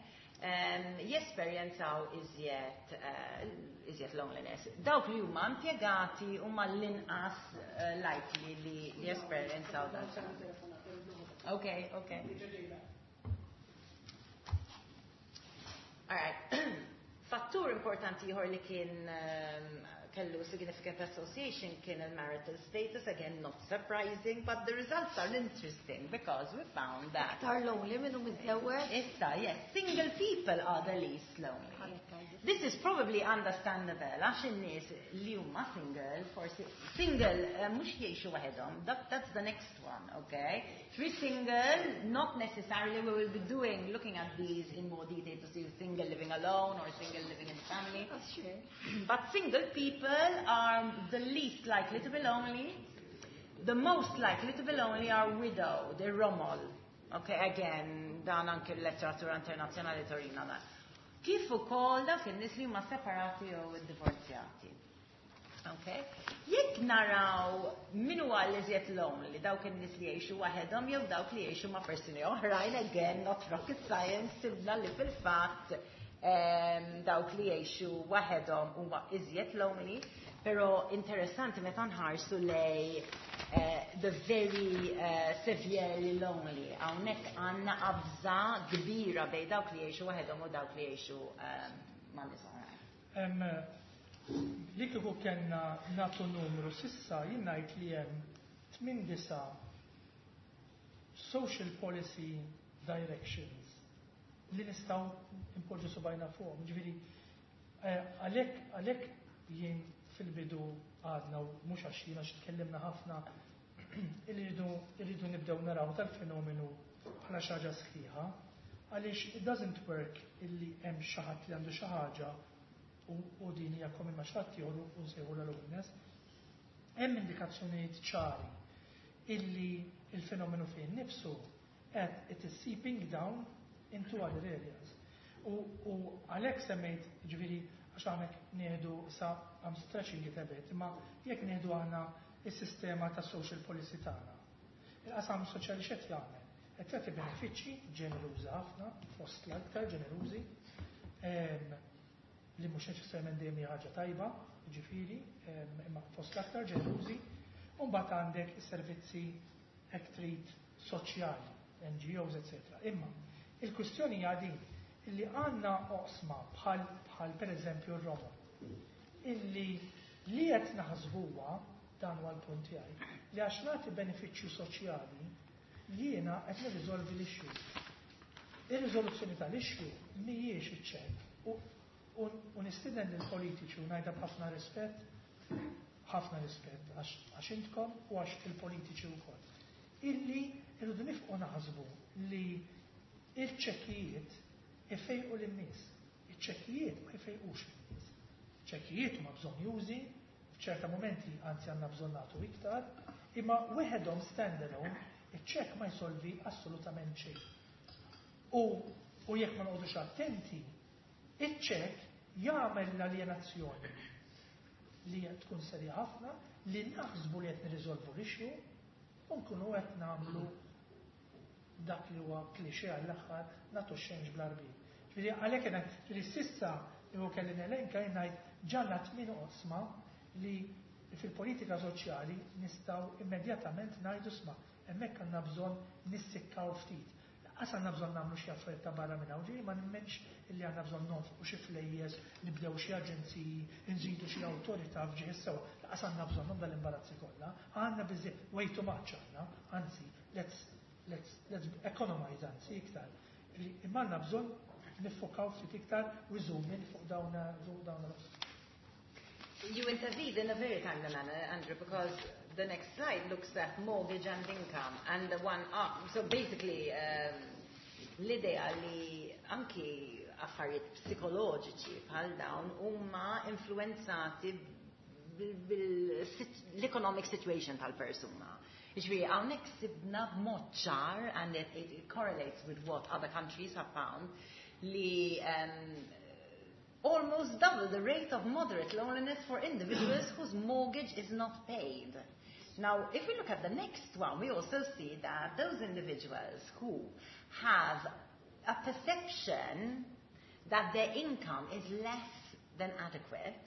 Jesperjenzaw iżjed loneliness. Dawk li huma impjegati huma l-inqas likely li jesperjenzaw dan. Okay. All right. Fattur importanti ieħor li kien kellu significant association kien il-marital status, again not surprising, but the results are interesting because we found that Iktar lonely minnu miżżewweġ. Issa, yes, single people are the least lonely. This is probably understandable, għax in-nies li huma single, forsi single mhux jgħixu waħedhom, that's the next one, okay? Free single, not necessarily. We will be looking at these in more detail to see single living alone or single living in family. That's true. But single people are the least likely to be lonely. The most likely to be lonely are widowed, the romol. Okay, again, dan anke l-letteratura internazzjonali turina dan. Kif ukoll dawk in-nies li huma separati jew iddivorzjati. Okay? Jekk naraw min huwa l-iżjed lonely, dawk in-nies li jgħixu waħedhom jew dawk li jgħixu ma' persuni oħrajn, again, not rocket science, sibna li fil-fatt dawk li jgħixu waħedhom huma iżjed lonely, però interessanti meta nħarsu lej the very severely lonely. Hawnhekk għandna qabża kbira bejn dawk li jgħixu waħedhom u dawk li jgħixu ma' nies oħrajn. Li kieku kellna nagħtu numru s'issa, jien ngħid li hemm 8 social policy directions li nistgħu npoġġu subgħajna fuqhom. Ġifieri, għalhekk jien fil-bidu għadna, u mhux għax jiena, għax tkellimna ħafna, irridu nibdew naraw tal-fenomenu bħala xi ħaġa sħiħa, għaliex it doesn't work illi hemm xi ħadd li għandu xi ħaġa u din hija common ma' xi ħadd ieħor u nsejħu loneliness. Hemm indikazzjonijiet ċari illi Il-fenomenu fih nifsu qed it is seeping down into other areas. U għalhekk semmejt, ġifieri, għax hawnhekk nieħdu sa, I'm stretching it a bit, imma jekk nieħdu aħna is-sistema ta' social policy tagħna. Il-qasam soċjali x'qed jagħmel? Qed jagħti benefiċċji ġeneruża ħafna, fost l-aktar ġenerużi, li mhux neċessarjament dejjem hija ħaġa tajba, ġifieri, imma fost l-aktar ġenerużi, u mbagħad għandek is-servizzi hekk trid soċjali, NGOs, etc. Imma il-kwistjoni hija din illi għandna oqsma bħal pereżempju r-Roma illi li qed naħsbuha, dan huwa l-punt tiegħi, li għax nagħti benefiċċju soċjali jiena qed nirriżolvi l-issue. Ir-riżoluzzjoni tal-issue mhijiex iċ-ċekk u nistieden lill-politiċi u ngħidha b'ħafna rispett, ħafna rispett għax intkom u għax il-politiċi wkoll. Illi irridu nifqu naħsbu li il-ċekkijiet ifejqu lin-nies. Iċ-ċekkijiet ma jfejqux lin-nies. Ċekkijiet huma bżonnjużi, f'ċerta momenti anzi għandna bżonn nagħtu iktar, imma weħedhom standalone iċ-ċekk ma jsolvi assolutament xejn. U jekk ma noqogħdux attenti, iċ-ċekk jagħmel l-aljenazzjoni li tkun serja ħafna, li naħsbu li qed nirriżolvu l-issue u nkunu qed nagħmlu dak li huwa klixe għall-aħħar, nagħtu xenġ bl-arbin. Ġifieri għalhekk qed li s'issa li kelli nelenka ngħid ġanna tmien oqsma li fil-politika soċjali nistgħu immedjatament ngħidu, isma', hemmhekk għandna bżonn nissikkaw ftit. Lanqas għandna bżonn nagħmlu xi affarijiet ta' barra minn hawn, ġifieri ma nemmenx illi għandna bżonn nonfqu xi flejjes, nibdew xi aġenziji, nżidu xi awtorità f'ġieħ sewwa. Lanqas għandna bżonnhom dal-imbarazzi kollha. Għandna biżejjed, way too much għandna, anzi, let's economize anzi iktar. Imma għandna bżonn niffokaw ftit iktar u zoom in fuq dawn. You intervened in a very timely manner, Andrew, because the next slide looks at mortgage and income, and the one up. So basically, l-idea li anki affarijiet psikoloġiċi bħal dawn huma influenzati bil-economic situation tal-persuna. Ġifieri, hawnhekk sibna b'mod ċar, and it correlates with what other countries have found, li almost double the rate of moderate loneliness for individuals whose mortgage is not paid. Now, if we look at the next one, we also see that those individuals who have a perception that their income is less than adequate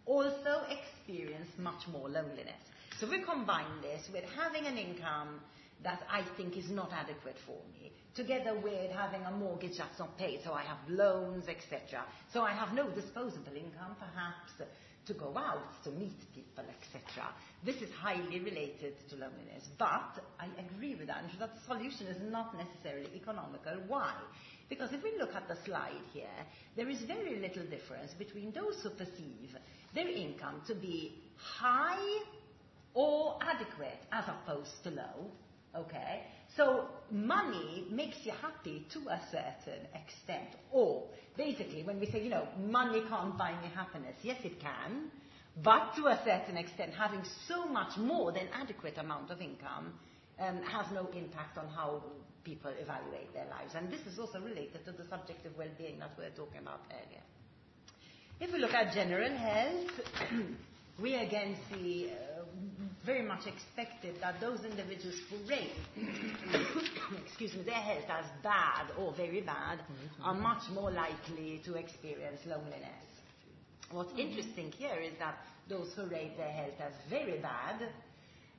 also experience much more loneliness. So we combine this with having an income that I think is not adequate for me, together with having a mortgage that's not paid, so I have loans, etc. So I have no disposable income, perhaps, to go out, to meet people, etc. This is highly related to loneliness. But I agree with Andrew that the solution is not necessarily economical. Why? Because if we look at the slide here, there is very little difference between those who perceive their income to be high or adequate as opposed to low. Okay? So money makes you happy to a certain extent. Or basically when we say, money can't buy me happiness. Yes, it can. But to a certain extent, having so much more than adequate amount of income has no impact on how people evaluate their lives. And this is also related to the subjective well-being that we were talking about earlier. If we look at general health, we again see very much expected that those individuals who rate excuse me, their health as bad or very bad are much more likely to experience loneliness. What's interesting here is that those who rate their health as very bad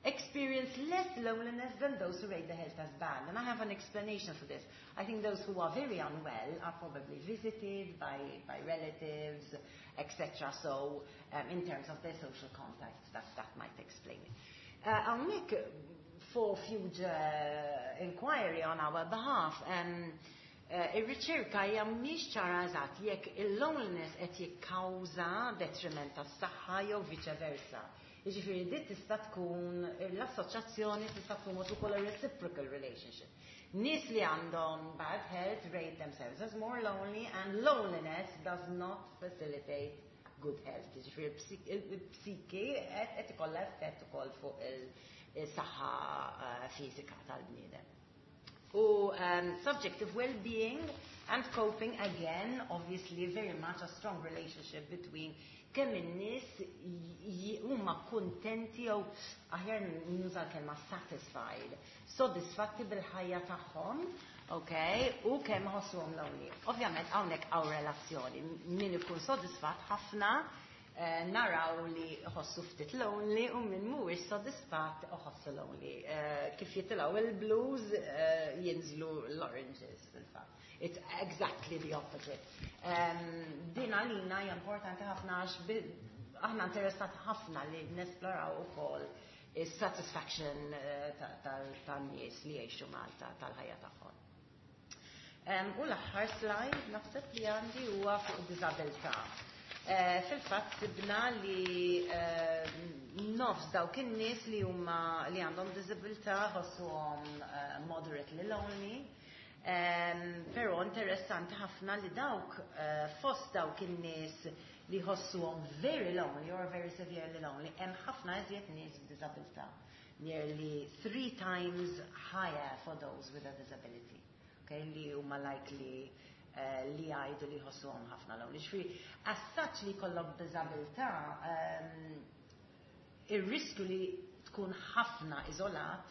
experience less loneliness than those who rate their health as bad. And I have an explanation for this. I think those who are very unwell are probably visited by relatives, etc. So in terms of their social contacts, that might explain it. I'll make for future inquiry on our behalf. Ir-riċerka hija mhix ċara eżatt jekk il-loneliness qed jikkawża detriment tas-saħħa jew viċe versa. Jiġifieri dit tista' tkun l-assoċjazzjoni, tista' tkun what we call a reciprocal relationship. Nies li għandhom bad health rate themselves as more lonely, and loneliness does not facilitate good health. Jiġifieri il-psiki qed ikollha effett ukoll fuq Is-saħħa fiżika tal-bniedem. U subjective well-being and coping, again, obviously very much a strong relationship between kemm in-nies huma kuntenti jew, aħjar nuża l-kelma satisfied, sodisfatti bil-ħajja tagħhom, okay, u kemm ħossuhom lonely. Ovvjament hawnhekk hawn relazzjoni. Min ikun sodisfatt ħafna naraw li ħossu ftit lonely u min mhuwiex sodisfatt iħossu lonely. Kif jitilgħu il-blues, jinżlu l-oranges fil-fatt. It's exactly the opposite. Din għalina hija importanti ħafna għax aħna interessat ħafna li nesploraw ukoll is-satisfaction tan-nies li jgħixu Malta tal-ħajja tagħhom. U l-aħħar slide naħseb li għandi huwa fuq diżabilità. Fil-fatt sibna li nofs dawk in-nies li huma li għandhom diżabilità ħossuhom moderately lonely. Però interessanti ħafna li dawk fost dawk in-nies li ħossuhom very lonely or very severely lonely, hemm ħafna iżjed nies b'diżabilità. Nearly three times higher for those with a disability. Okay, li huma likely li jgħidu li jħossuhom ħafna lonely. Ġifieri, as such li jkollok diżabilità, ir-riskju li tkun ħafna iżolat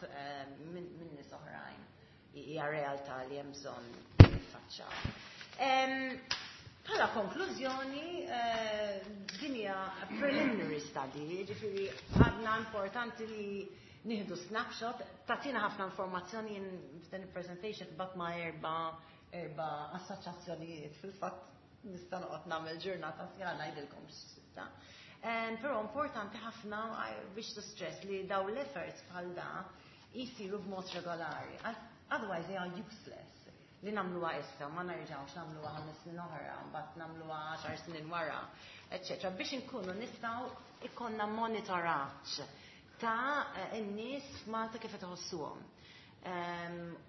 minn nies oħrajn hija realtà li hemm bżonn niffaċċaw. Bħala konklużjoni, din hija preliminary study, ġifieri għadna importanti li nieħdu snapshot, tagħtina ħafna informazzjoni. F'dan il-presentation bat ma' erba' assoċjazzjonijiet, fil-fatt nista' noqgħod nagħmel ġurnata sħiħa ngħidilkom x'sibna. Però importanti ħafna biex to stress li daw l-efforts bħal da jisiru b'mod regolari. Otherwise they are useless. Li nagħmluha issa, ma nerġgħux nagħmluha 5 snin oħra, mbagħad nagħmluha 10 snin wara, eċċetera. Biex inkunu nistgħu ikollna monitoraġġ ta' n-nies f'Malta kif qed iħossuhom.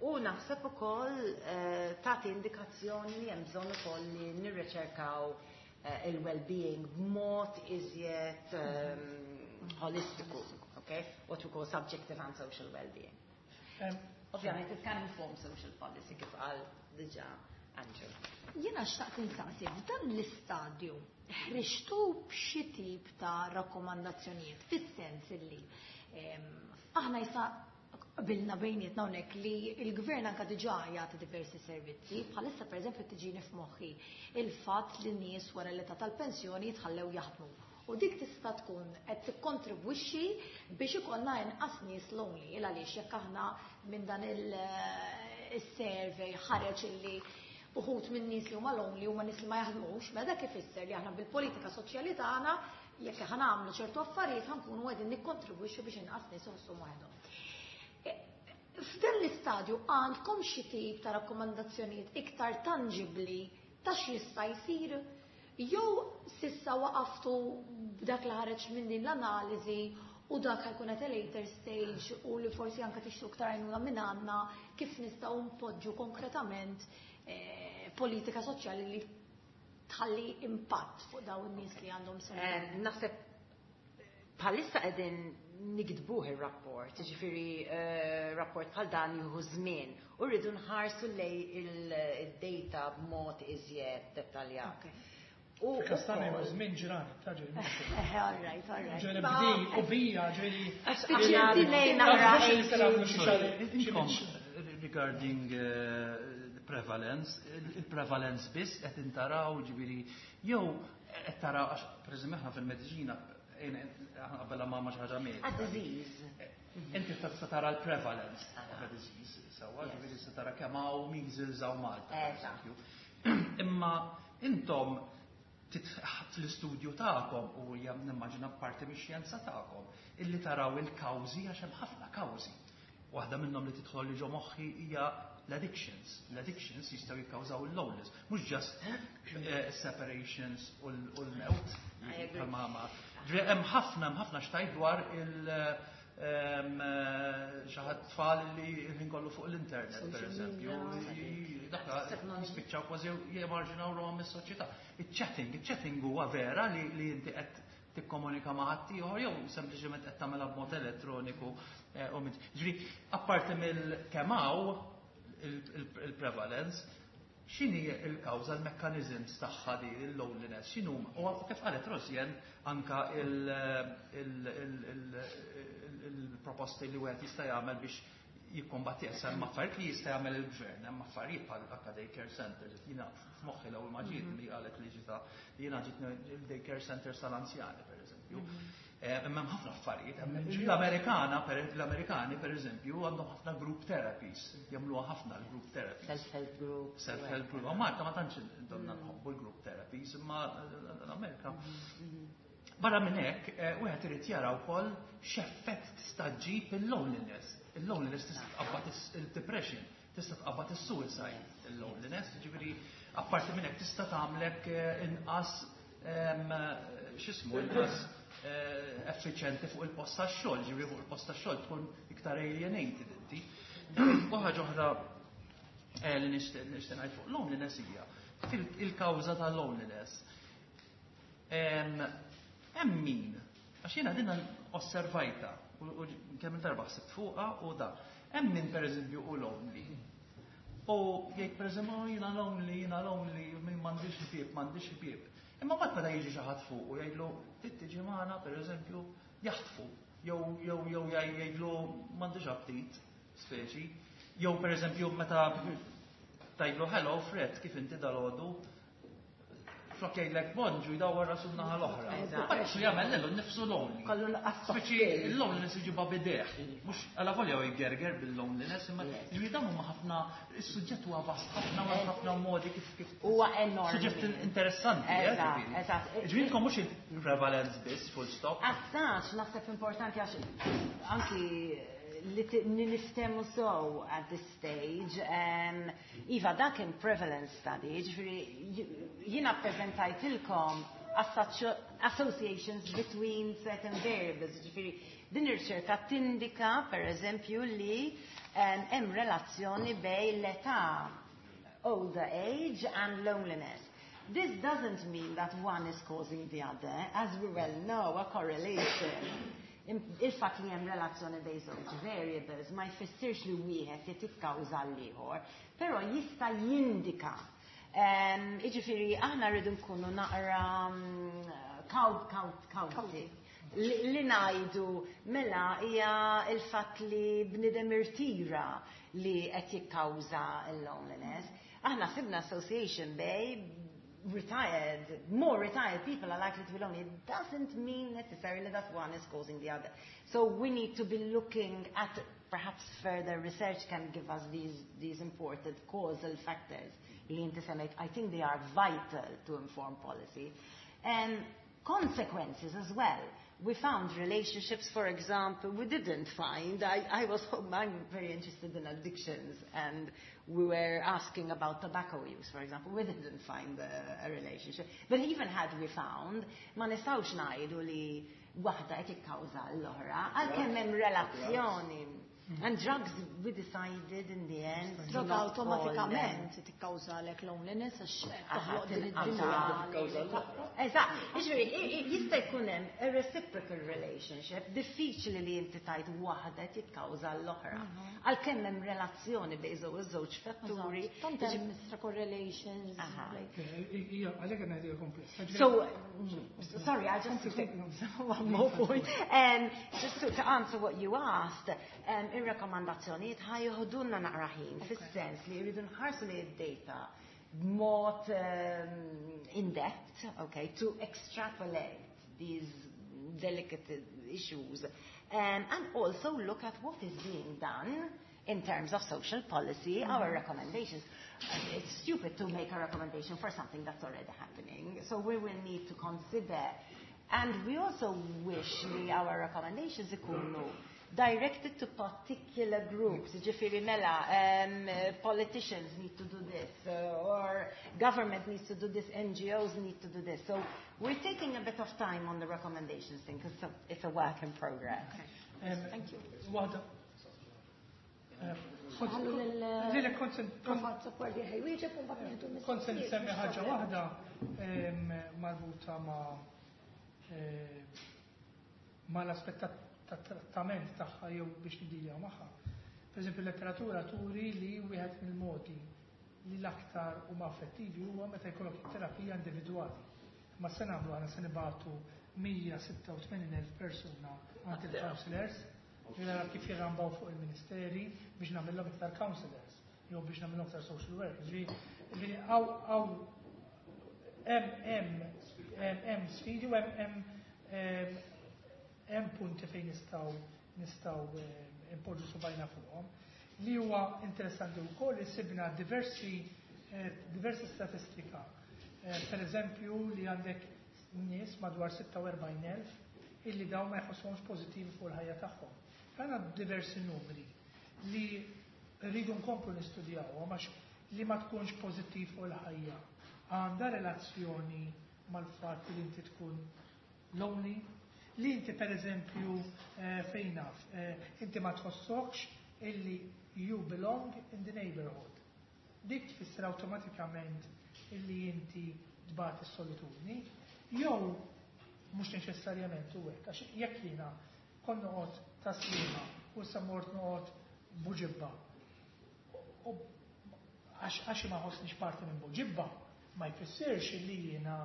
U naħseb ukoll tagħti indikazzjoni li hemm bżonn ukoll li nirriċerkaw il-well-being b'mod iżjed holistiku, okay? What we call subjective and social well-being. Ovvjament, it can inform social policy, kif qal diġà Andrew. Jiena xtaqt insaqsi, f'dan l-istadju ħriġtu b'xi tip ta' rakkomandazzjonijiet, fis-sens illi aħna issa qbilna bejnietna hawnhekk li l-gvern anka diġà jagħti diversi servizzi, bħalissa pereżempju tiġini f'moħħi il-fatt li nies wara l-età tal-pensjoni jitħallew jaħdmu. U dik tista' tkun qed tikkontribwixxi biex ikollna inqas nies lonely, il għaliex jekk aħna minn dan il-survey ħareġ illi uħud minn nies li huma lonely huma nies li ma jaħdmux, mela dak ifisser li aħna bil-politika soċjali tagħna, jekk ħa nagħmlu ċertu affarijiet, ħa nkunu qegħdin nikkontribwixxu biex inqas nies iħossuhom waħedhom. F'dan l-istadju għandkom xi tip ta' rakkomandazzjonijiet iktar tangibli ta' x'jista' jsir jew s'issa waqaftu b'dak li ħareġ minn din l-analiżi u dak ħa jkun at a later stage u li forsi anke tixtru iktar għajnuna minn għandna kif nistgħu npoġġu konkretament politika soċjali li tħalli impatt fuq dawn in-nies li għandhom sen? Naħseb bħalissa qegħdin niktbuh ir-rapport, ġifieri rapport bħal dan jieħu żmien u rridu nħarsu lej il-data b'mod iżjed dettaljat. U Kastana jieħu żmien ġranet, ta' ġifieri. All right. Ġifieri bdi u bija, ġifieri. Ġifieri naqra. Inkom, regarding prevalence, il-prevalence biss qed intaraw, ġifieri, jew qed taraw, għax pereżempju aħna fil-mediċina qabel ma xi ħaġa medika. A disease. Inti tista' tara l-prevalence of a disease, sewwa, ġifieri se tara kemm hawn measles hawn Malta, per eżempju. Imma intom fl-istudju tagħkom, u hija nimmaġina parti mix-xjenza tagħkom, illi taraw il-kawżi, għax hemm ħafna kawżi. Waħda minnhom li tidħol li ġo moħħi hija l-addictions. L-addictions jistgħu jikkawżaw il-loneliness, mhux just separations u l-mewt. I agree. Bħalma Ġifieri hemm ħafna x'tgħid dwar il xi ħadd tfal li l-ħin kollu fuq l-internet, per Social eżempju, media. Dakka Technology. jispiċċaw kważi jemarġinaw ruħhom mis-soċjetà. Il-chatting huwa vera li inti qed Tikkomunika ma' ħaddieħor jew sempliċement qed tagħmilha b'mod elettroniku u minn. Ġifieri, apparti mill kemm hawn il-prevalence, x'inhi il-kawża, l-mechanisms tagħha di il-loneliness, x'inhu? U kif qalet Rosjen, anka il-proposti li wieħed jista' jagħmel biex jikkombatti. Issa hemm affarijiet li jista' jagħmel il-gvern, hemm affarijiet bħal anka daycare centers, jiena f'moħħi l-ewwel ma ġiet li qalet li ġita jiena ġiet il-daycare centers tal-anzjani, pereżempju. Imma hemm ħafna affarijiet. L-Amerikana, l-Amerikani pereżempju għandhom ħafna group therapies, jagħmluha ħafna l-group therapies. Self-help group. Self-help group. Ma Malta ma tantx donna nħobbu l-group therapies, imma l-Amerika. Barra minn hekk, wieħed irid jara wkoll x'effett tista' ġġib il-loneliness. Il-loneliness tista' tqabbad il-depression, tista' tqabbad is-suicide, il-loneliness, ġifieri apparti minn hekk tista' tagħmlek inqas, x'ismu, inqas effiċjenti fuq il-post tax-xogħol, ġifieri fuq il-post tax-xogħol tkun iktar alienated inti. U ħaġa oħra li nixtieq ngħid fuq loneliness hija fil-kawża ta' loneliness. Hemm min, għax jiena din osservajta u kemm il-darba ħsibt fuqha u da. Hemm min, pereżempju, hu lonely. U jgħid, pereżempju, "Oh, jiena lonely, jiena lonely, min m'għandix ħbieb, m'għandix ħbieb." Imma mbagħad meta jiġi xi ħadd fuq u jgħidlu, "Trid tiġi magħna?" pereżempju, jaħtfu. Jew jgħidlu, "M'għandix aptit," speċi. Jew, pereżempju, meta tgħidlu, "Hello Fred, kif inti dalgħodu?" Flok jgħidlek bonġu, jdawwar rasu naħa l-oħra. Għax jagħmel lilu nnifsu lonely. Kollu l-qasba. Speċi il-loneliness iġibha b'idejh. Mhux għala volja u jgerger bil-loneliness, imma ġifieri dawn huma ħafna, is-suġġett huwa vast ħafna u hemm ħafna modi kif Huwa enormi. Suġġett interessanti, ġifieri. Ġifieri inkom mhux il-prevalence biss, full stop. As such, naħseb importanti għax anki li niftemu so at this stage. Iva, dak kien prevalence study, ġifieri jiena prezentajtilkom associations between certain variables, ġifieri din ir-riċerka tindika, per eżempju, li hemm relazzjoni bejn l-età, older age and loneliness. This doesn't mean that one is causing the other. As we well know, a correlation, il-fatt li hemm relazzjoni bejn żewġ variables ma jfissirx li wieħed qed jikkawża l-ieħor, però jista' jindika. Iġifieri aħna rridu nkunu naqra kawti li ngħidu mela hija il-fatt li bnidem irtira li qed jikkawża l-loneliness. Aħna sibna association bejn retired, more retired people are likely to be lonely. It doesn't mean necessarily that one is causing the other. So we need to be looking at perhaps further research can give us these important causal factors li inti semmejt. I think they are vital to inform policy. And consequences as well. We found relationships, for example, we didn't find. I'm very interested in addictions, and we were asking about tobacco use, for example. We didn't find a relationship. But even had we found, ma nistgħux ngħidu li waħda qed tikkawża l-oħra, għalkemm hemm relazzjoni. And drugs, we decided in the end to Droga not call them. Awtomatikament tikkawżalek loneliness għax toħloq din id-dinja. Eżatt, jiġifieri, jista' jkun hemm a reciprocal relationship, diffiċli li inti tgħid waħda tikkawża l-oħra. Għalkemm hemm relazzjoni bejn żewġ fatturi. Tant hemm mistra correlations. Ija, għalhekk ngħidu kompless. So, sorry, I just one more point. Just to answer what you asked, ir-rakkomandazzjonijiet ħa joħdulna naqra ħin, fis-sens li jridu nħarsu li d-data b'mod in depth, okay, to extrapolate these delicate issues, and also look at what is being done in terms of social policy, our recommendations. It's stupid to make a recommendation for something that's already happening. So we will need to consider. And we also wish li our recommendations ikunu directed to particular groups. Ġifieri mela, politicians need to do this, or government needs to do this, NGOs need to do this. So we're taking a bit of time on the recommendations thing, because it's a work in progress. Okay. Thank you. Waħda. Ħallu Lilek kont Prof Azzopardi ħa jwieġeb u mbagħad nieħdu Kont se mistoqsijiet. nsemmi ħaġa waħda marbuta ma' mal-aspett tat-trattament tagħha jew biex niddiljaw magħha. Per eżempju, letteratura turi li wieħed mill-modi li l-aktar huma effettivi huwa meta jkollok terapija individwali. Ma se nagħmlu aħna se nibagħtu 186,000 persuna għand il-counselors, nara kif jirrambaw fuq il-ministeri biex nagħmilhom iktar counselors jew biex nagħmilhom iktar social workers. Ġifieri hawn hemm sfidi u hemm punti fejn nistgħu impoġġu subgħajna fuqhom. Li huwa interessanti wkoll li sibna diversi statistika. Per eżempju li għandek nies madwar 46,000 illi dawn ma jħossuhomx pożittivi fuq il-ħajja tagħhom. Għandna diversi numri li rridu nkomplu nistudjawhom għax li ma tkunx pożittiv fuq il-ħajja. Għandha relazzjoni mal-fatt li inti tkun lonely, li inti per eżempju fejn naf, inti ma tħossokx illi you belong in the neighborhood. Dik tfisser awtomatikament illi inti tbati s-solitudni, jew mhux neċessarjament u hekk, għax jekk jiena kont noqgħod Tas-Sliema u issa mort noqgħod Buġibba. U għax ma ħossniex parti minn Buġibba, ma jfissirx illi jiena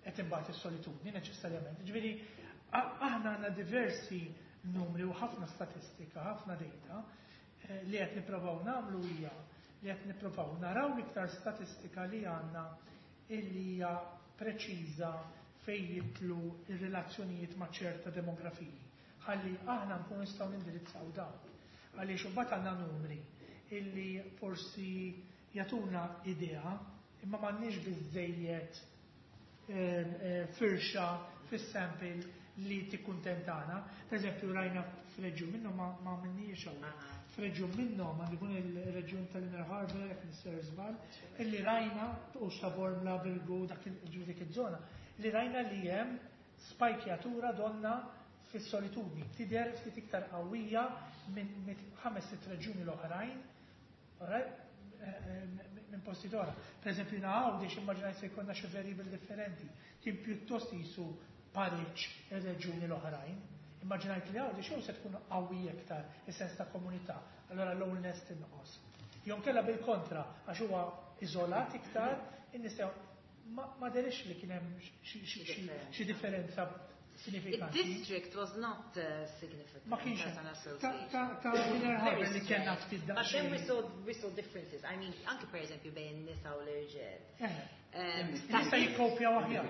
qed imbagħad is-solitudni neċessarjament. Ġifieri aħna għandna diversi numri u ħafna statistika, ħafna data li qed nipprovaw nagħmlu hija li qed nipprovaw naraw iktar statistika li għandna illi hija preċiża fejn jidħlu ir-relazzjonijiet ma' ċerta demografiji. Ħalli aħna nkunu nistgħu nindirizzaw dawn. Għaliex imbagħad għandna numri illi forsi jagħtuna idea imma m'għandniex biżejjed firxa fis-sample li tikkuntentana. Per eżempju, rajna f'reġjun minnhom ma għamilniex hawnhekk. F'reġjun minnhom għandu jkun il-reġjun tal-Inner Harbour, jekk nisser żball, illi rajna u Bormla, Birgu, dak dik iż-żona, li rajna li hemm spajkjatura donna fis-solitudni, tidher ftit iktar qawwija minn 5-6 reġjuni l-oħrajn, minn posti oħra. Per eżempju, Għawdex immaġinajt se jkollna xi variable differenti, kien pjuttost jisu pariċ ir-reġjuni l-oħrajn. Immaġinajt li Għawdex jew se tkun qawwi iktar is-sens ta' komunità, allora loneliness tinqos. Jew kella bil-kontra, għax huwa iżolat iktar, in-nies ma derix li kien hemm xi differenza sinifikanti. The district was not significant. Ma kienx ta' Inner Harbour li kellna ftit But then we saw differences. I mean, anke per eżempju bejn nisa u l-irġiel. Nisa jikkopjaw aħjar.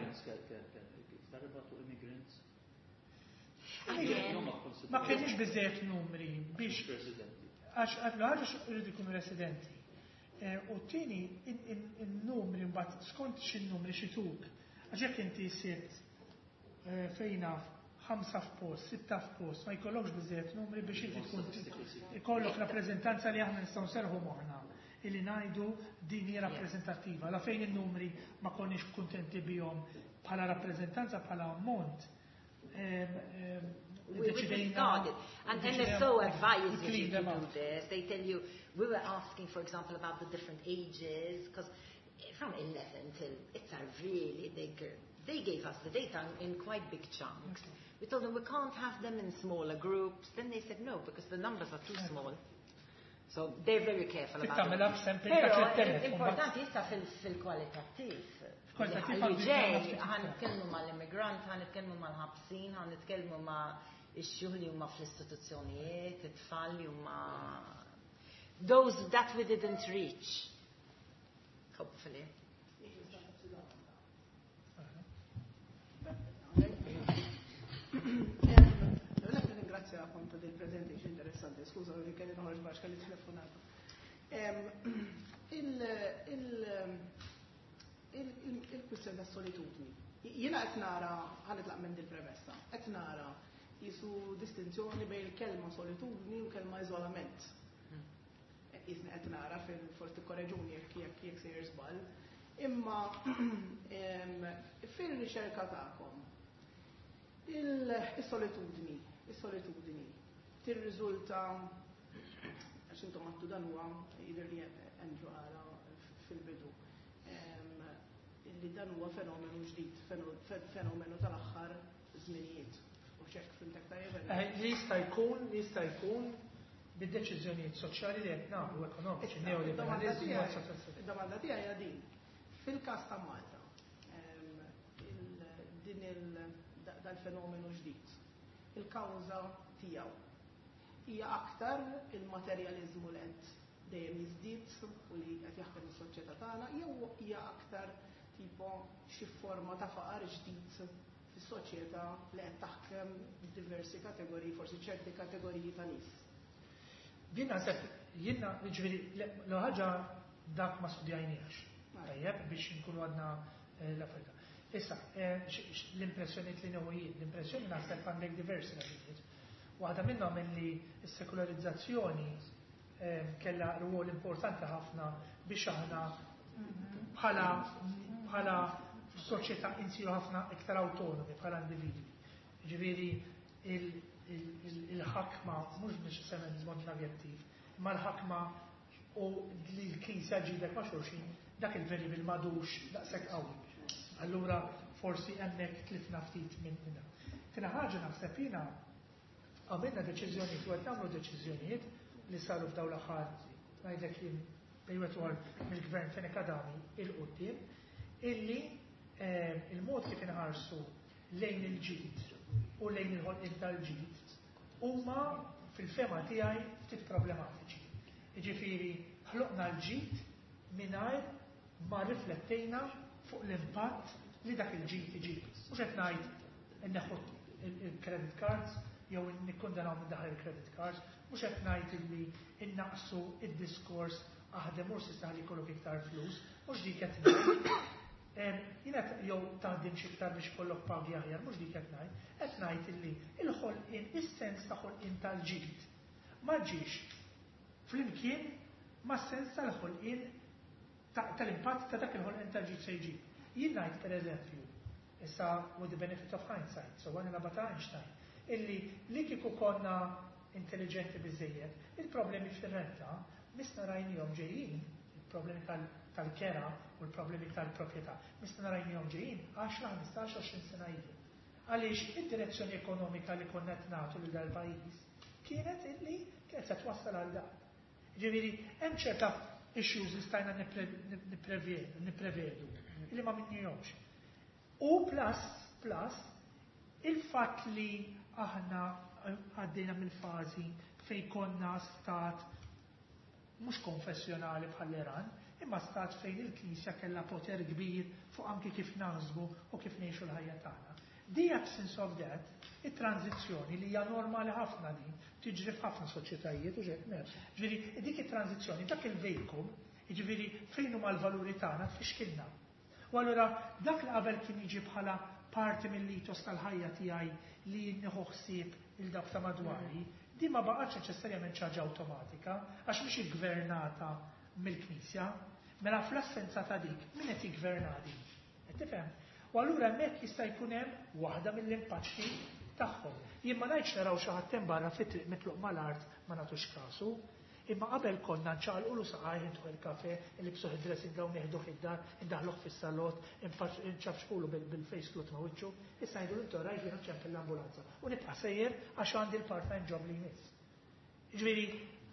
Immigrants. Ma kienx biżejjed numri biex għax għax irridu jkunu residenti. U t-tieni il-numri mbagħad skont x'in-numri xituk. Għax jekk inti sibt fejn naf 5 f'post, 6 f'post, ma jkollokx biżejjed numri biex inti tkun ikollok rappreżentanza li aħna nistgħu nserħu moħħna illi ngħidu din hija rappreżentattiva. La fejn in-numri ma konniex kuntenti bihom bħala rappreżentanza bħala ammont. We discarded. And they're so advised you to do this. They tell you, we were asking, for example, about the different ages, because from 11 till, it's a really big, they gave us the data in quite big chunks. We told them we can't have them in smaller groups. Then they said no, because the numbers are too small. So they're very careful about it. Però importanti issa fil-kwalitattiv. Li ġej, ħa nitkellmu mal-immigrant, ħa nitkellmu mal-ħabsin, ħa nitkellmu ma' ix-xjuħ li huma fl-istituzzjonijiet, it-tfal li huma those that we didn't reach. Hopefully. Ringrazzjakom ta' din presentation interessanti. Skuża li kelli noħroġ għax kelli telefonata. Il-kwistjoni ta' solitudni. Jiena qed nara, ħa nitlaq minn din premessa, qed nara jisu distinzjoni bejn il-kelma solitudni u kelma iżolament. Jisni qed nara fil-forsi korreġuni jekk sejjer żball. Imma fil-riċerka tagħkom il-solitudni tirriżulta, għax intom għattu dan huwa jidher li Andrew qala fil-bidu li dan huwa fenomenu ġdid, fenomenu tal-aħħar Żminijiet. U xek fimtek tajjeb? Li jista' jkun bid-deċiżjonijiet soċjali li qed nagħmlu, ekonomiċi, neoliberalizmu, eccetera. Id-domanda tiegħi hija din. Fil-każ ta' Malta, din dal-fenomenu ġdid, il-kawża tiegħu hija aktar il-materjaliżmu li qed dejjem jiżdied u li qed jaħdem is-soċjetà tagħna, jew hija aktar tipo xi forma ta' faqar ġdid fis-soċjetà li qed taħkem diversi kategoriji, forsi ċerti kategoriji ta' nies? Din naħseb jiena, ġifieri, l ħaġa dak ma studjajniex. Tajjeb, biex nkunu għadna l-affarijiet. Issa, l-impressjoni li nieħu jien, l-impressjoni naħseb għandek diversi raġunijiet. Waħda minnhom li s-sekolarizzazzjoni kellha rwol importanti ħafna biex aħna bħala soċjetà insiru ħafna iktar autonomi bħala individwi. Ġifieri il-ħakma mhux neċessarjament mod negattiv, ma l-ħakma u li l-Knisja ġibek ma' xulxin, dak il-variable m'għadux daqshekk qawwi. Allura forsi hemmhekk tlifna ftit minn minna. Tieni ħaġa, naħseb jiena għamilna deċiżjonijiet u qed nagħmlu deċiżjonijiet li saru f'dawn l-aħħar, ngħidlek jien, bejwet mill-gvern Fenech Adami 'il quddiem, illi il-mod kif inħarsu lejn il-ġid u lejn il-ħolqien tal-ġid huma fil-fehma tiegħi ftit problematiċi. Jiġifieri ħloqna l-ġid mingħajr ma riflettejna fuq l-impatt li dak il-ġid iġib. Mhux qed ngħid inneħħu il-credit cards jew nikkundanaw minn daħal il-credit cards, mhux qed ngħid illi innaqsu id-diskors aħdem u s'issa li jkollok iktar flus, mhux dik qed ngħid. Jiena jew taħdem xi iktar biex kollok pagi aħjar, mhux dik qed ngħid. Qed ngħid illi il-ħolqien, is-sens ta' ħolqien tal-ġid ma ġiex flimkien ma' sens tal-ħolqien tal-impatt ta' dak il-ħolqien tal-ġid se jġib. Jien ngħid, pereżempju, issa with the benefit of hindsight, so għana nabata Einstein, illi li kieku konna intelligenti biżejjed, il-problemi fir-renta missna rajnihom ġejjin, il-problemi tal-kera u l-problemi tal-proprjetà, missna rajnihom ġejjin 10, 15, 20 sena ilu. Għaliex id-direzzjoni ekonomika li konna qed nagħtu lil dal-pajjiż kienet illi kienet se twassal għal dak. Ġifieri, hemm ċerta issues li stajna nipprevedu, illi ma minnihomx. U plus, il-fatt li aħna għaddejna mill-fażi fej konna stat mhux konfessjonali bħall-Iran, imma stat fejn il-Knisja kellha poter kbir fuq anki kif naħsbu u kif ngħixu l-ħajja tagħna. The absence of that, it-tranzizzjoni li hija normali ħafna din, tiġri f'ħafna soċjetajiet u ġek mer. Ġifieri dik it-tranzizzjoni, dak il-vacuum, jiġifieri fejn huma l-valuri tagħna, tfixkilna. U allura dak li qabel kien jiġi bħala parti mill-ethos tal-ħajja tiegħi li nieħu ħsieb il dak ta' madwari, di ma baqgħetx neċessarjament ħaġa awtomatika, għax mhix iggvernata mill-Knisja. Mela fl-assenza ta' dik, min qed jiggverna din? Qed tifhem? U allura hemmhekk jista' jkun hemm waħda mill-impatti tagħhom. Jien ma ngħidx naraw xi ħadd hemm barra fit-triq mitluq mal-art ma nagħtux kasu, imma qabel konna nċaqalqulu saqajh, intuh il-kafe, nlibbsuh id-dressing gown, nieħduh id-dar, indaħluh fis-salott, nċafxqulu bil-face cloth ma' wiċċu, issa ngħidu intu rajt jiena ċempel l-ambulanza. U nibqa' sejjer għax għandi l-part-time job li jmiss. Ġifieri,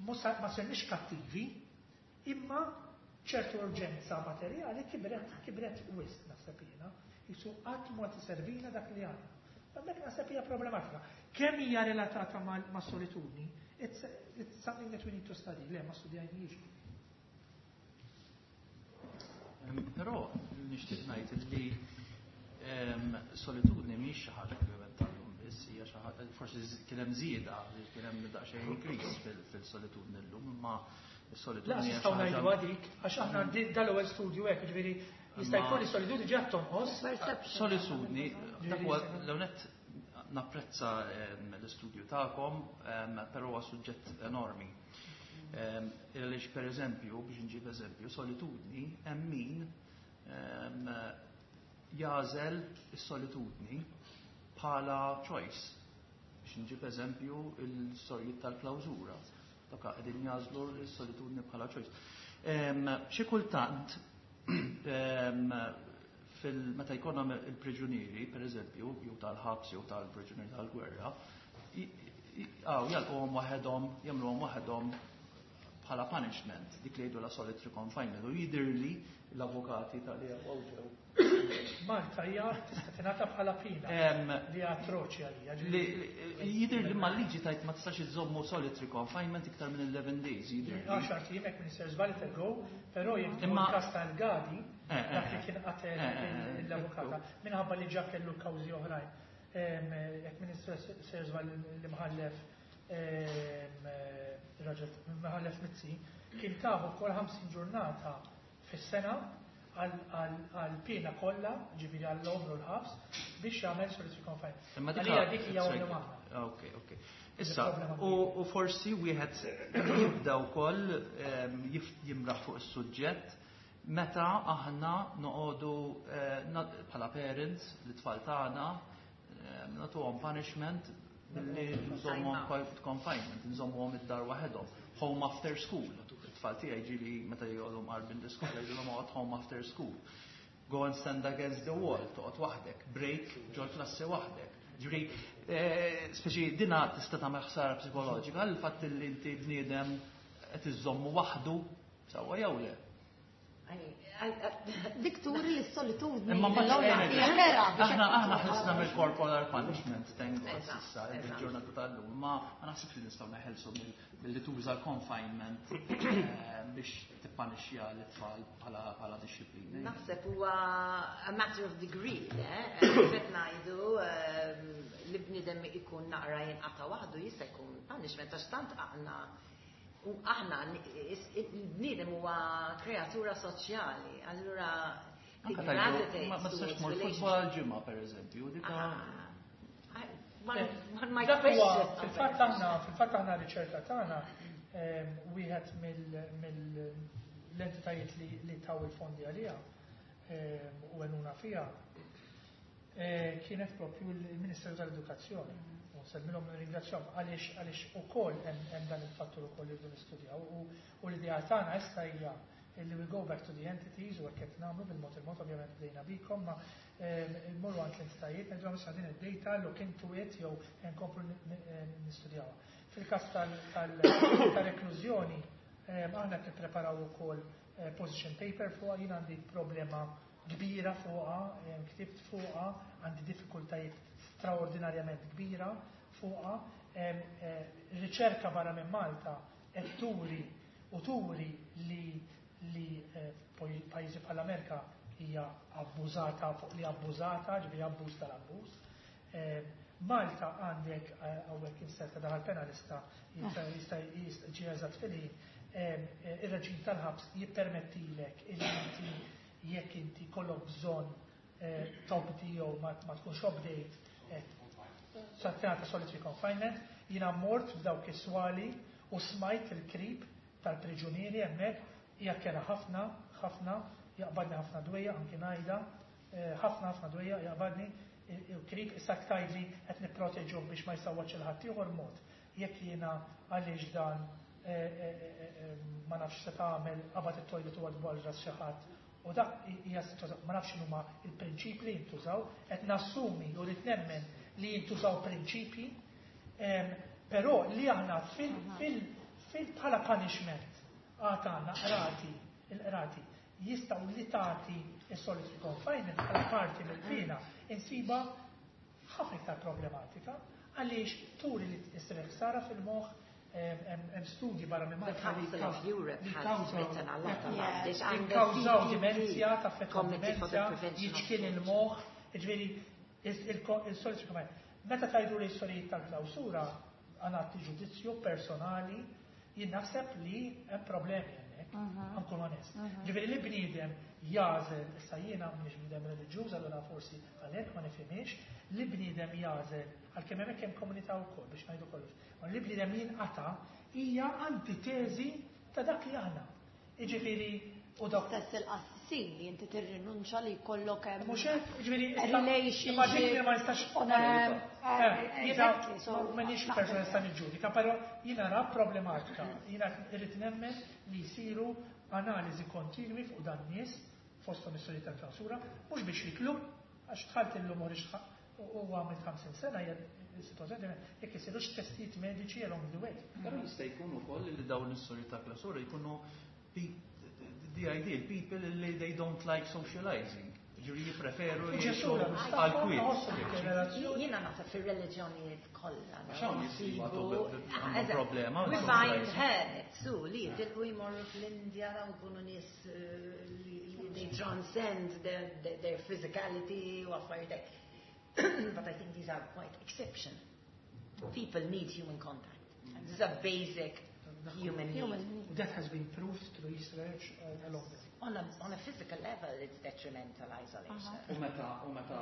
ma sirniex kattivi, imma ċertu urġenza materjali kibret, kibret wisq, naħseb jiena. Jisu qatt ma tiservina dak li għandna. Hemmhekk naħseb hija problematika. Kemm hija relatata ma' solitudni, it's something that we need to study. Le, ma studjajniex. Però nixtieq ngħid li solitudni mhix xi ħaġa ovvjament tal-lum biss, hija xi ħaġa forsi kien hemm żieda, li kien hemm daqsxejn increase fil-solitudni llum, imma La, s-solitudni hija xi nistgħu ngħidu ħaġa għadik, għax aħna dal-ewwel studju hekk, ġifieri jista' jkun li solitudni ġiet tonqos. Solitudni, dak huwa l-ewwel napprezza l-istudju tagħkom, però huwa suġġett enormi. Għaliex per eżempju, biex nġib eżempju, solitudni, hemm min jagħżel is-solitudni bħala choice. Biex nġib eżempju, il-sorijiet tal-klawżura. Dawk qegħdin jagħżlu s-solitudni bħala choice. Xi kultant Fil-meta jkollna il-priġunieri, per eżempju, jew tal-ħabs jew tal-priġunieri tal-gwerra, għaw jalquhom waħedhom, jagħmluhom waħedhom bħala punishment, dik li jgħidu la solitary confinement, u jidirli l-avukati tal-li ġew. Malta hija tista' tingħata bħala pina li atroċi għalija. Jidher li mal-liġi tajt ma tistax iżommu solitary confinement iktar minn 11 days. Jidher. 10 ijiem hekk Minister żbalit go, però jekk imma każ tal-Gadi, dak li kien qatel l-avukata, minħabba li ġa kellu kawżi oħrajn. Jekk Minister żbal l-imħallef raġel Mħallef Mizzi, kien taħu kol 50 ġurnata fis-sena għal-pena kollha, ġifieri għall-omru l-ħabs, biex jagħmel solitary confinement. Imma dik hija waħda. Ok. Issa, u forsi wieħed jibda wkoll jimraħ fuq is-suġġett meta aħna noqogħdu bħala parents l-tfal tagħna nagħtuhom punishment billi nżommuhom confinement, nżommuhom id-dar waħedhom. Home after school. It-tfal tiegħi ġieli meta jgħodhom qarbin l-iskola jgħidulhom oqgħod home after school. Go and stand against the wall, toqgħod waħdek, break ġol klassi waħdek. Ġifieri, speċi dina tista' tagħmel ħsara psikoloġika għal fatt li inti bniedem qed iżommu waħdu sewwa jew le. Dik turi li s-solitudni. Imma ma hija Aħna ħlisna mill-corporal punishment, thank God, issa, il-ġurnata tal-lum, ma naħsibx li nistgħu neħelsu milli tuża l-confinement biex tippanixxja l-tfal bħala dixxiplina. Naħseb huwa a matter of degree, eh? Qed ngħidu li bniedem ikun naqra jinqata' waħdu jista' jkun punishment għax tant aħna u aħna il-bniedem huwa kreatura soċjali, allura Ma tistax tmur futbol ġimgħa pereżempju, dika. Dak huwa fil-fatt aħna riċerka tagħna wieħed mill-entitajiet li taw il-fondi għaliha u għenuna fiha kienet propju il-Ministeru tal-Edukazzjoni. U nsellmilhom nirringrazzjahom għaliex ukoll hemm dan il-fattur ukoll li rridu nistudjaw u l-idea tagħna issa hija illi we go back to the entities u hekk qed nagħmlu bil-mod il-mod, ovvjament bdejna bikom, ma mmorru għand l-entitajiet ngħidulhom issa din id-data, look into it jew nkomplu nistudjawha. Fil-każ tal-reklużjoni aħna qed nippreparaw ukoll position paper fuqha, jien għandi problema kbira fuqha, ktibt fuqha, għandi diffikultajiet straordinarjament kbira fuqha. Riċerka barra minn Malta qed turi u turi li pajjiżi bħall-Amerika hija abbużata fuq li abbużata, ġifieri abbuż tal-abbuż. Malta għandek hawnhekk inserta daħal penalista jista' ġi eżatt fil-ħin, ir-reġim tal-ħabs jippermettilek illi inti jekk inti kollok bżonn tobdi jew ma tkunx obdejt sa tingħata solitary confinement. Jiena mort f'dawk is-swali u smajt il-krip tal-priġunieri hemmhekk, hija kera ħafna, ħafna, jaqbadni ħafna dwejja, anki ngħidha, ħafna ħafna dwejja jaqbadni il-krip. Issa tgħidli qed nipproteġuh biex ma jsawwatx il-ħadd ieħor mod. Jekk jiena għaliex dan ma nafx se tagħmel qabad it-toilet u għad ras xi ħadd. U dak hija situazzjoni, ma nafx x'inhuma il-prinċipji li jintużaw, qed nassumi u rrid nemmen li jintużaw prinċipji, però li aħna fil bħala punishment għad għandna qrati, il-qrati jistgħu li tagħti is-solitary confinement bħala parti mill-pena insiba ħafna iktar problematika għaliex turi li issir ħsara fil-moħħ. Hemm studji barra minn Malta li jikkawżaw dimenzja, taffettwa dimenzja, jiċkien il-moħħ, ġifieri il-solitary confinement. Meta tajdu li sorijiet tal-klawsura għanati ġudizzju personali, jien naħseb li hemm problemi hemmhekk, nkun onest. Ġifieri li bniedem jagħżel, issa jiena m'iniex bniedem reliġjuż, allura forsi għalhekk ma nifhimx, li bniedem jagħżel, għalkemm hemmhekk hemm komunità wkoll biex ngħidu kollox, ma li bniedem jinqata' hija antiteżi ta' dak li aħna. Jiġifieri u dak Stess il-qassisin li inti tirrinunċa li jkollok hemm Mhux hekk, jiġifieri relationship. Immaġini ma nistax jiena Exactly, so m'iniex persona nista' niġġudika, però jiena ra problematika. Jiena irrid nemmen li jsiru analiżi kontinwi fuq dan nies. Fosthom is-sorijiet tal-klawsura, mhux biex jiklu, għax dħalt illum u għamilt 50 sena hija s-sitwazzjoni jekk isirux testijiet mediċi along the way. Però jista' jkun ukoll li dawn is-sorijiet tal-klawsura jkunu the ideal people li they don't like socializing. Ġifieri jippreferu jgħixu għal-kwiet. Jiena naħseb fir-reliġjonijiet kollha. Għax hawn għandhom problema. We find hermits su li jitilqu jmorru fl-Indja daw ikunu nies li they transcend their physicality u affarijiet hekk. But I think these are quite exceptional. People need human contact. This is a basic human need. That has been proved through research along the way. On a physical level, it's detrimental isolation. U meta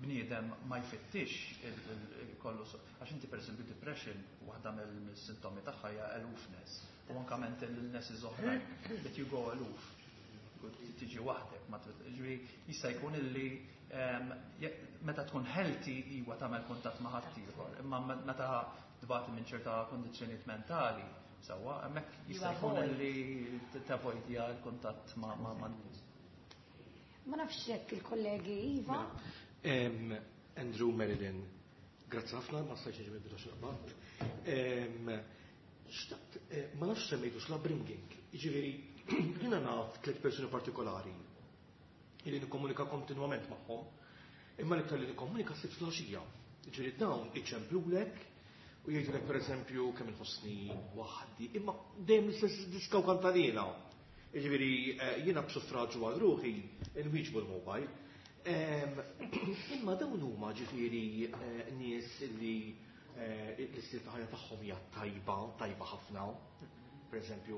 bniedem ma jfittix kollu, għax inti per esempio depression, waħda mill-sintomi tagħha hija aloofness, u anka mental illnesses oħrajn, that you go aloof, tiġi waħdek, ma ġifieri jista' jkun illi meta tkun healthy iwa tagħmel kuntatt ma' ħaddieħor, imma meta tbati minn ċerta kondizzjonijiet mentali, sewwa, hemmhekk jista' jkun illi tavoidja l-kuntatt ma' nies. Ma nafx jekk il-kollegi Iva. Andrew, Marilyn, grazzi ħafna, ma stajtx niġi mill-bidu x'naqbad. Xtaqt, ma nafx semmejtux l-upbringing. Jiġifieri, jiena naf tliet persuni partikolari illi nikkomunika kontinwament magħhom, imma l-iktar li nikkomunika s filgħaxija. Jiġifieri dawn iċemplulek u jgħidulek pereżempju kemm inħossni waħdi, imma dejjem l-istess diska u kantalina. Jiġifieri jiena b'suffraġġu għal ruħi nwieġbu l-mobile. Imma dawn huma ġifieri nies li l-istil ta' ħajja tagħhom hija tajba, tajba ħafna. Per eżempju,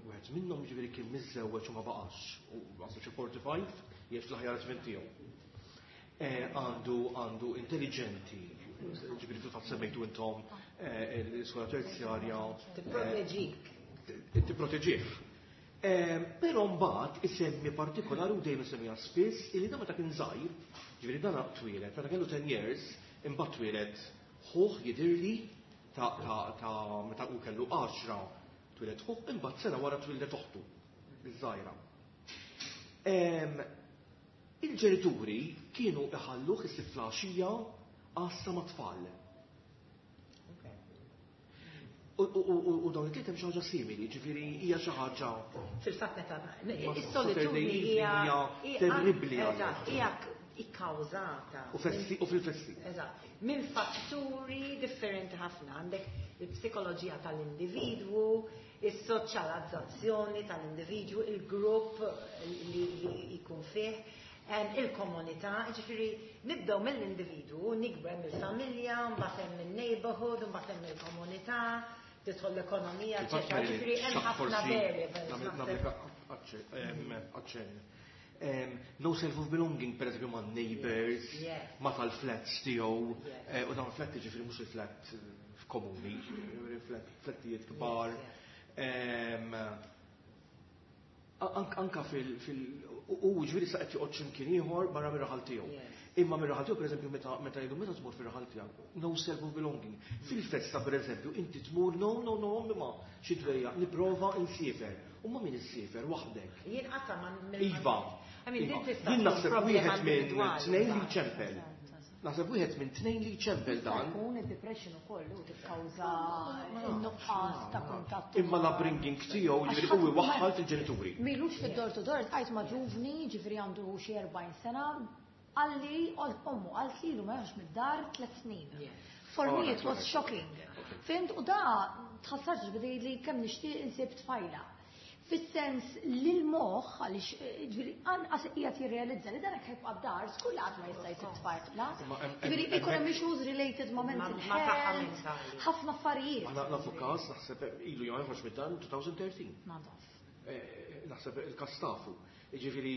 wieħed minnhom ġifieri kien miżżewweġ u ma baqax, u għandu xi 45, jgħix l-aħjar żmien tiegħu. Għandu intelligenti, ġifieri fil-fatt semmejtu intom l-iskola terzjarja. Tipproteġik. Tipproteġih. Però mbagħad isemmi partikolari u dejjem isemmiha spiss illi da meta kien żgħir, ġifieri dan twieled, meta kellu 10 years, imbagħad twieled ħuh jidirli ta' meta hu kellu 10 twieled ħuh, imbagħad sena wara twieldet oħtu, iż-żgħira. Il-ġenituri kienu iħalluh is filgħaxija għassa ma' tfal. U dawn it-tliet hemm xi ħaġa simili, ġifieri hija xi ħaġa. Fil-fatt meta is-solitudni hija terribbli. Eżatt, hija ikkawżata. U fil-festi. Eżatt, minn fatturi differenti ħafna. Għandek il-psikoloġija tal-individwu, is-soċjalizzazzjoni tal-individwu, il-grupp li jkun fih, il-komunità, ġifieri nibdew mill-individwu, nikber mill-familja, mbagħad hemm il-neighborhood, mbagħad hemm il-komunità, tidħol l-ekonomija, eċetera. Ġifieri hemm ħafna variables. Aċċenn. No self of belonging, per eżempju, ma' neighbors, ma' tal-flats tiegħu, u dawn flat ġifieri mhux il-flat komuni, flattijiet kbar. Anka u ġifieri sa qed joqgħod x'imkien ieħor barra mir-raħal tiegħu. Imma mir-raħal tiegħu, pereżempju, meta jgħidu meta tmur fir-raħal tiegħek, no self of belonging. Fil-festa, pereżempju, inti tmur, no, no, no, ma xi dwejja, nipprova nsiefer. U ma min issiefer waħdek. Jien qatta ma Iva. I mean, din tista' Jien naħseb problema wieħed minn individwali. tnejn li ċempel. Naħseb wieħed minn tnejn li ċempel dan. Jkun id-depression ukoll u tikkawża n-nuqqas ta' kuntatt. Imma l-upbringing tiegħu ġifieri u iwaħħal fil-ġenituri. M'ilux fid-door to door għajt ma' ġuvni, ġifieri għandu xi 40 sena, għalli ommu għalt lilu ma joħroġ mid-dar 3 snin. For me it was shocking. Fhimt, u da tħassarx bidej li kemm nixtieq insib tfajla. Fis-sens li l-moħħ, għaliex ġifieri anqas qiegħed jirrealizza li dan hekk jibqa' d-dar, żgur li qatt ma jista' jsib tfajla. Ġifieri ikun hemm issues related ma' mental Ma' saħħa health, mentali. ħafna affarijiet. Aħna nafu każ, naħseb ilu joħroġ mid-dar 2013. Ma naf. Naħseb il-każ tafu. Ġifieri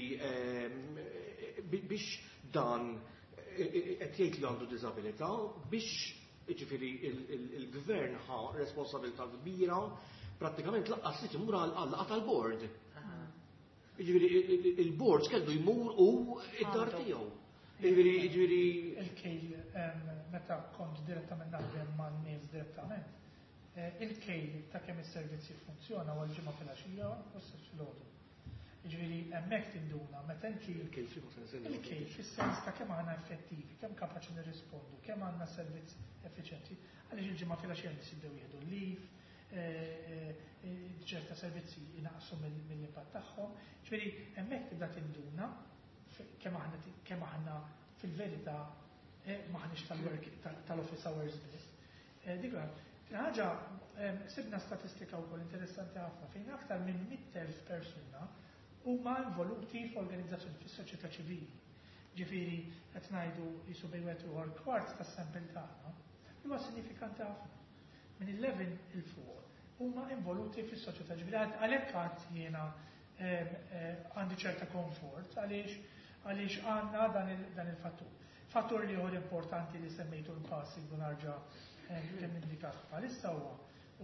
biex dan qed jgħid li għandu diżabilità biex ġifieri il-gvern ħa responsabilità kbira prattikament laqqas li timur għal tal-board. Ġifieri il-board kellu jmur u id-dar tiegħu. Ġifieri Il-kejl meta kont direttament naħdem ma' nies direttament, il-kejl ta' kemm is-servizzi funzjona huwa l-Ġimgħa filgħaxija u s-Sibt filgħodu. Ġifieri hemmhekk tinduna meta inti il-kejl fis-sens ta' kemm aħna effettivi, kemm kapaċi nirrispondu, kemm għandna servizz effiċjenti. Għaliex il-Ġimgħa filgħaxija nies jibdew jieħdu l-leave, ċerta servizzi jinaqsu mill-impatt tagħhom. Ġifieri hemmhekk tibda tinduna kemm aħna fil-verità maħniex tal-work tal-office hours biss. Dik ħaġa, sibna statistika wkoll interessanti ħafna fejn aktar minn 100,000 persuna huma involuti f'organizzazzjoni fis-soċjetà ċivili. Ġifieri qed ngħidu jisu bejn wieħed u kwart tas-sample tagħna huwa sinifikanti ħafna. Minn 11 'il fuq huma involuti fis-soċjetà ċivili. Għalhekk għad jiena għandi ċerta komfort għaliex għandna dan il-fattur. Fattur li ieħor importanti li semmejtu l-passing u narġa' kemm indikat bħalissa huwa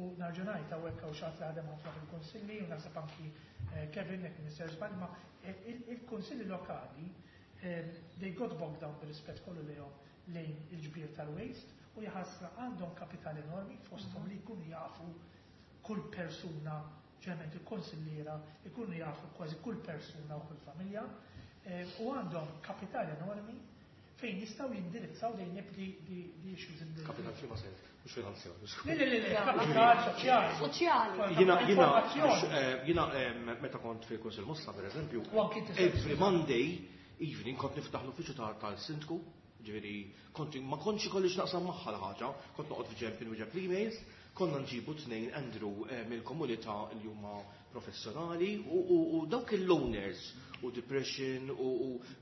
u narġa' ngħid hawnhekk hawn xi ħadd li ħadem ħafna fil-kunsilli u naħseb anki Kevin jekk Minister żball, ma il-kunsilli lokali, they got bogged down, bir-rispett kollu lejhom, lejn il-ġbir tal-waste u jaħasra għandhom kapital enormi, fosthom li jkunu jafu kull persuna, ġeneralment il-konsilliera ikunu jafu kważi kull persuna u kull familja, u għandhom kapital enormi fejn jistgħu jindirizzaw dejn the issues in the Kapital f'liema sens, mhux finanzjarju. Le, le, le, le, kapital soċjali. Soċjali. Jiena meta kont fil-Kunsill Mosta, per eżempju, U anki inti every Monday evening kont niftaħ l-uffiċċju tal-sindku, ġifieri kont ma kontx ikolli x'naqsam magħha l-ħaġa, kont noqgħod f'ġenb inwieġeb l-emails, konna nġibu tnejn, Andrew, mill-komunità li huma professjonali u dawk il-loners u depression u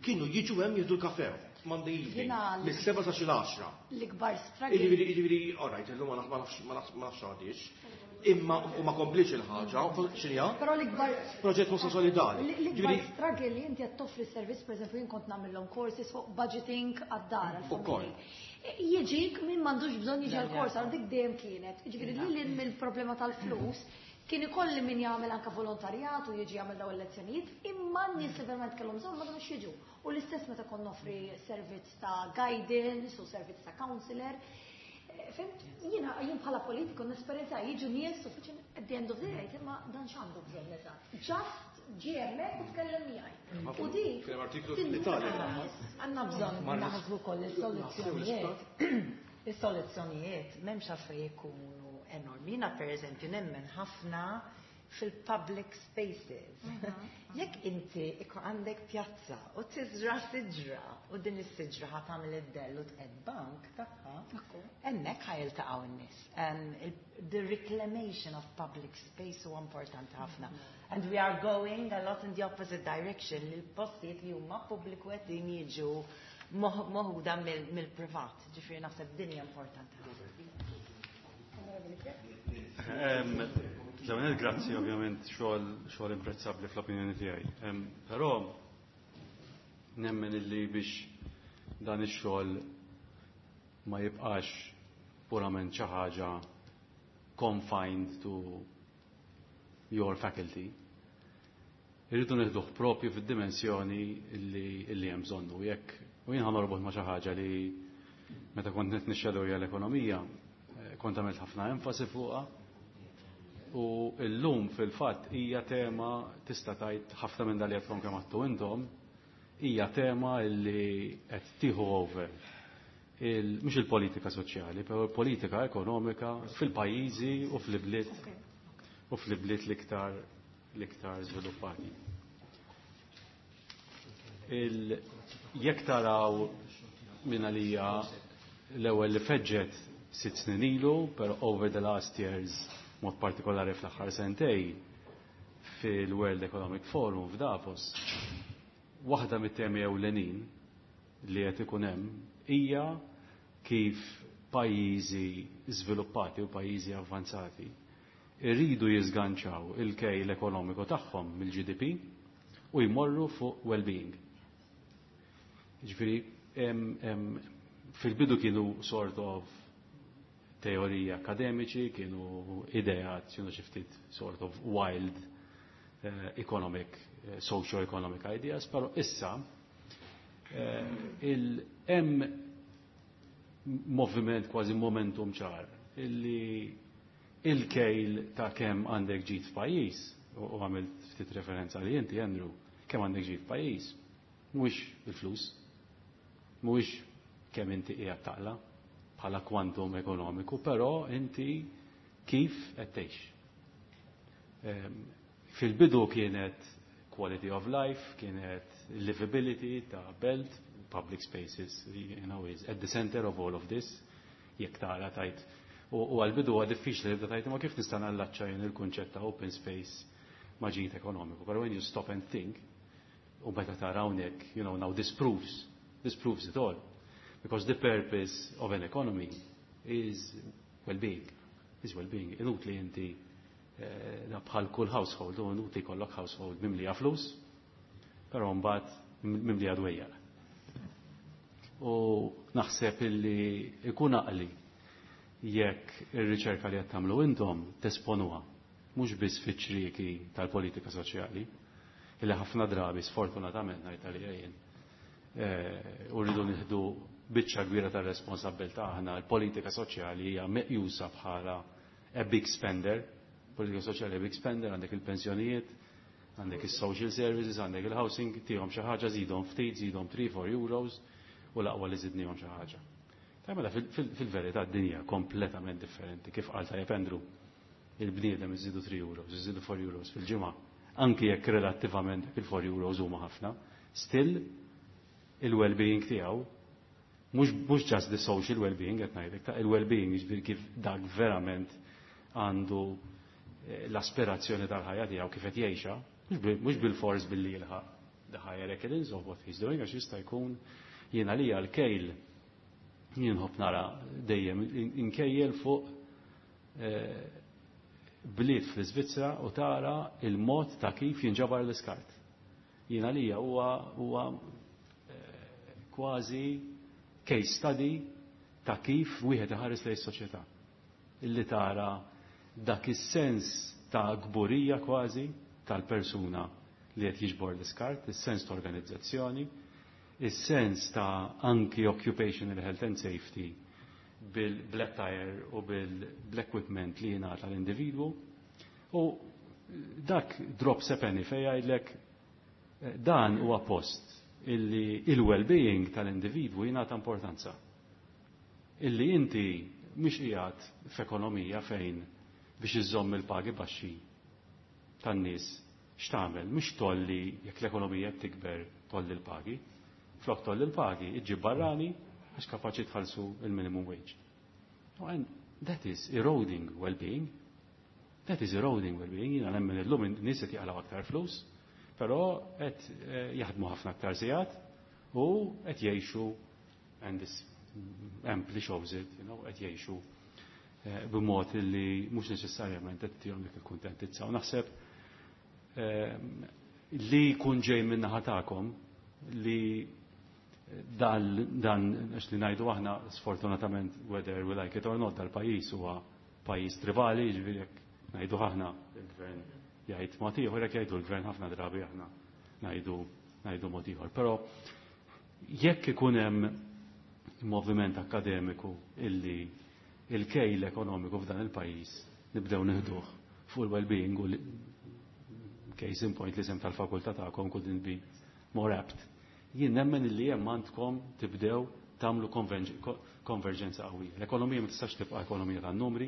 kienu jiġu hemm jieħdu l-kafe Monday evening mis-7 sa xi l-10. L-ikbar struggle. Jiġifieri, all right, illum ma nafx għadix. Imma u ma komplix il-ħaġa, x'inhija? Però l-ikbar Proġett Mosta Solidali. L-ikbar Jiġifieri struggle li inti qed toffri servizz, per eżempju, jien kont nagħmilhom courses fuq budgeting għad-dar għall-familji. Jiġik min m'għandux bżonn jiġi għal-kors, għal dik dejjem kienet. Ġifieri li lil mill-problema tal-flus, kien ikolli min jagħmel anka volontarjat u jiġi jagħmel dawn il-lezzjonijiet, imma n-nies li verament kellhom bżonn ma kinux jiġu. U l-istess meta kont noffri servizz ta' guidance u servizz ta' counselor. Fhimt, jien bħala politiku nesperjenza jiġu nies u fiċin at the end of the day, imma dan x'għandu bżonn eżatt? Just ġie hemmhekk u tkellem miegħi. U dik Kien hemm artiklu tinduna fl-Italja. nies. Għandna bżonn naħsbu koll is-soluzzjonijiet. Is-soluzzjonijiet m'hemmx għalfejn ikunu enormi. Jiena per eżempju nemmen ħafna fil-public spaces. Jekk inti ikun għandek pjazza u tiżra siġra u din is-siġra ħa tagħmel id-dell u tqed bank tagħha, hemmhekk ħa jiltaqgħu n-nies. The reclamation of public space huwa importanti ħafna. And we are going a lot in the opposite direction, li l-postijiet li huma pubbliku qed jiġu moħuda mill-privat. Ġifieri naħseb din hija importanti ħafna. L-ewwel, grazzi ovvjament, xogħol imprezzabbli fl-opinjoni tiegħi. Però nemmen illi biex dan ix-xogħol ma jibqax purament xi ħaġa confined to your faculty, irridu nieħduh propju fid-dimensjoni illi hemm bżonnu. Jekk u jien ħa norbot ma' xi ħaġa li meta kont nixxedu l-ekonomija, kont għamilt ħafna enfasi fuqha. U llum fil-fatt hija tema, tista' tgħid ħafna minn dal li kemm għattu intom, hija tema li qed tieħu over mhux il-politika soċjali, però il-politika ekonomika fil-pajjiżi u fl-ibliet l-iktar żviluppati. Jekk taraw minn għalija l-ewwel li feġġet 6 snin ilu, però over the last years, mod partikolari fl-aħħar sentej, fil-World Economic Forum f'Davos, waħda mit-temi ewlenin li qed ikun hemm hija kif pajjiżi żviluppati u pajjiżi avvanzati irridu jiżganċaw il-kejl ekonomiku tagħhom mill-GDP u jmorru fuq well-being. Ġifieri, fil-bidu kienu sort of teoriji akademiċi, kienu ideat, kienu xi ftit sort of wild economic, socio-economic ideas, pero issa hemm moviment, kważi momentum ċar, illi il-kejl ta' kemm għandek ġid f'pajjiż, u għamilt ftit referenza li inti, Andrew, Kemm għandek ġid pajjiż, mhuwiex il-flus, mhuwiex kemm inti qiegħed taqla bħala kwantum ekonomiku, però inti kif qed tgħix. Fil-bidu kienet quality of life, kienet livability ta' belt, public spaces is at the center of all of this, jekk tara tajt. U għal-bidu huwa diffiċli li tajt ma kif nista' nallaċċa jien il-kunċett ta' open space ma' ġid ekonomiku. But when you stop and think, u meta tara hawnhekk, now this proves it all. Because the purpose of an economy is well-being. Is well-being. Inutli inti bħal kull household, u inutli kollok household mimlija flus, però mbagħad mimlija dwejjaq. U naħseb illi ikun għaqli jekk ir-riċerka li qed tagħmlu intom tesponuha mhux biss fiċ-ċrieki tal-politika soċjali, illi ħafna drabi sfortunatament ngħid għalija jien, u rridu nieħdu biċċa kbira tar-responsabbiltà aħna, l-politika soċjali hija meqjusa bħala a big spender. Politika soċjali a big spender, għandek il-pensjonijiet, għandek il-social services, għandek il-housing, tihom xi ħaġa, żidhom ftit, żidhom 3-4 euros, u l-aqwa li żidnihom xi ħaġa. Ta' mela fil-verità d-dinja kompletament differenti, kif qal tajjeb Andrew, il-bniedem iżidu 3 euros, iżidu 4 euros fil-ġimgħa, anki jekk relattivament il-4 euros huma ħafna, still il-well-being tiegħu mhux just the social well-being qed ngħidlek, ta' il-well-being jiġifieri kif dak verament għandu l-aspirazzjoni tal-ħajja tiegħu kif qed jgħixha, mhux bil-fors billi jilħaq the higher echelons of what he's doing, għax jista' jkun jiena li l-kejl jien nħobb nara dejjem inkejjel fuq bliet fl-Iżvizzera u tara il-mod ta' kif jinġabar l-iskart. Jiena lija huwa kważi case study ta' kif wieħed iħares lejn is-soċjetà. Illi tara dak is-sens ta' gburija kważi tal-persuna li qed jiġbor l-iskart, is-sens ta' organizzazzjoni, is-sens ta' anki occupational health and safety bil-black tire u bil-equipment li jingħata l-individwu. U dak drops a penny fejn jgħidlek dan huwa post illi il-well-being tal-individwu jingħata importanza. Illi inti mhix qiegħed f'ekonomija fejn biex iżomm il-pagi baxxi tan-nies x'tagħmel, mhux tolli jekk l-ekonomija tikber tolli l-pagi. Flok tolli l-pagi, iġġib barrani għax kapaċi tħallsu il-minimum wage. And that is eroding well-being. That is eroding well-being. Jiena nemmen illum in-nies qed jaqilgħu aktar flus, però qed jaħdmu ħafna aktar sigħat u qed jgħixu, and this amply shows it, qed jgħixu b'mod li mhux neċessarjament qed tihom dik il-kuntentizza. U naħseb li jkun ġej minn naħa tagħkom li dan għax li ngħidu aħna sfortunatament whether we like it or not dal-pajjiż huwa pajjiż tribali, jiġifieri jekk ngħidu aħna il-gvern jgħid mod ieħor, jekk jgħidu l-gvern ħafna drabi aħna ngħidu mod ieħor. Però jekk ikun hemm moviment akademiku illi il-kejl ekonomiku f'dan il-pajjiż nibdew nieħduh fuq il-well-being u case in point li sem tal-fakultà tagħkom couldn't be more apt. Jien nemmen illi hemm għandkom tibdew tagħmlu konverġenza qawwija. L-ekonomija ma tistax tibqa' ekonomija tan-numri,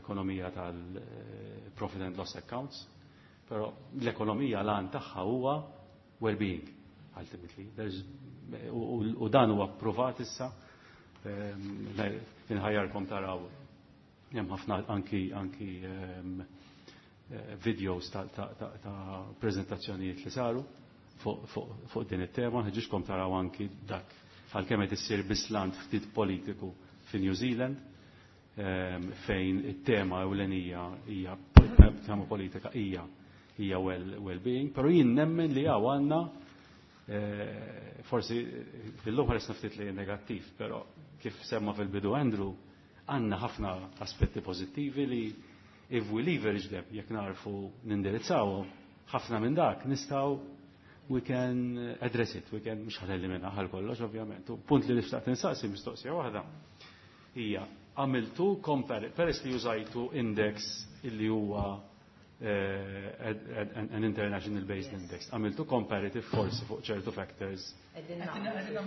ekonomija tal-profit and loss accounts, però l-ekonomija l-għan tagħha huwa well-being, ultimately. U dan huwa provat issa, inħajjarkom taraw hemm ħafna anki videos ta' prezentazzjonijiet li saru fuq din it-tema, ħeġġiġkom taraw anki dak għalkemm qed issir bislant ftit politiku fi New Zealand, fejn it-tema ewlenija hija tema politika hija well-being, però jien nemmen li hawn għandna forsi fil-lum ħares ftit li negattiv, però kif semma fil-bidu Andrew, għandna ħafna aspetti pożittivi li if we leverage them, jekk narfu nindirizzawhom, ħafna minn dak nistgħu we can address it, we can mhux ħa telimina għal kollox ovvjament. U punt li nixtaq tinsaqsi mistoqsija waħda hija għamiltu compare, peress li użajtu index illi huwa an international based index. Għamiltu comparative forsi fuq ċertu factors. Qegħdin nagħmlu.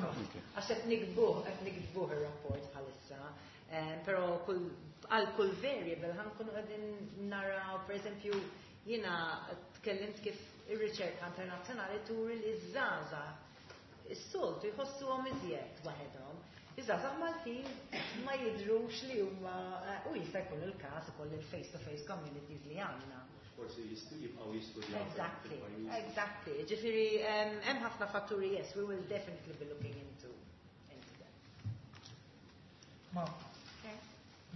Għax qed niktbuh, qed niktbuh ir-rapport bħalissa. Però kull għal kull variable ħa nkunu qegħdin naraw, pereżempju, jiena tkellimt kif ir-riċerka internazzjonali turi li ż-żgħażagħ is-soltu jħossuhom iżjed waħedhom. Iż-żgħażagħ Maltin ma jidhrux li huma, u jista' jkun il-każ ukoll il-face-to-face communities li għandna. Forsi jibqgħu jistudjaw. Exactly, exactly. Ġifieri hemm ħafna fatturi, yes, we will definitely be looking into that. Ma,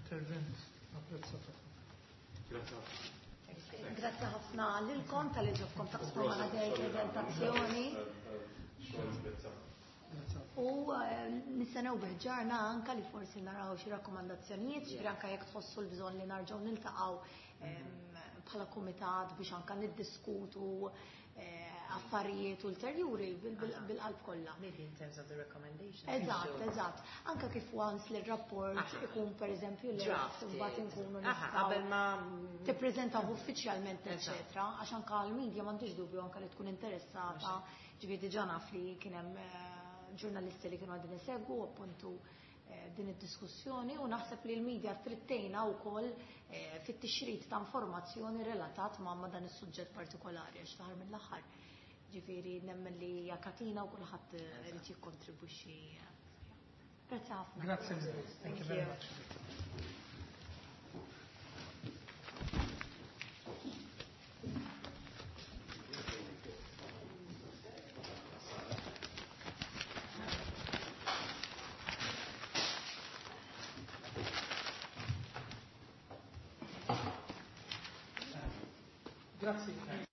intervent apprezzat. Grazie. Grazie ħafna lilkom talli ġobkom taqsmu magħna din il-prezentazzjoni. U nistennew bil-ħerqa anka li forsi naraw xi rakkomandazzjonijiet, ġifieri anka jekk tħossu l-bżonn li nerġgħu niltaqgħu bħala kumitat biex anka niddiskutu affarijiet ulterjuri bil-qalb kollha. Maybe in terms of the recommendations. Eżatt, eżatt. Anka kif once li r-rapport ikun pereżempju li Drafted. mbagħad inkunu nistgħu Qabel ma tippreżentaw uffiċjalment, eċetera, għax anka l-media m'għandix dubju anka li tkun interessata, ġifieri diġà naf li kien hemm ġurnalisti li kienu qegħdin isegwu appuntu din id-diskussjoni u naħseb li l-media trid tgħinna wkoll fit-tixrid ta' informazzjoni relatat ma' dan is-suġġett partikolari għax taħar mill-aħħar. Ġifieri nemmen li hija katina u kulħadd irid jikkontribwixxi. Grazzi ħafna. Grazie. Thank you very much. Grazie.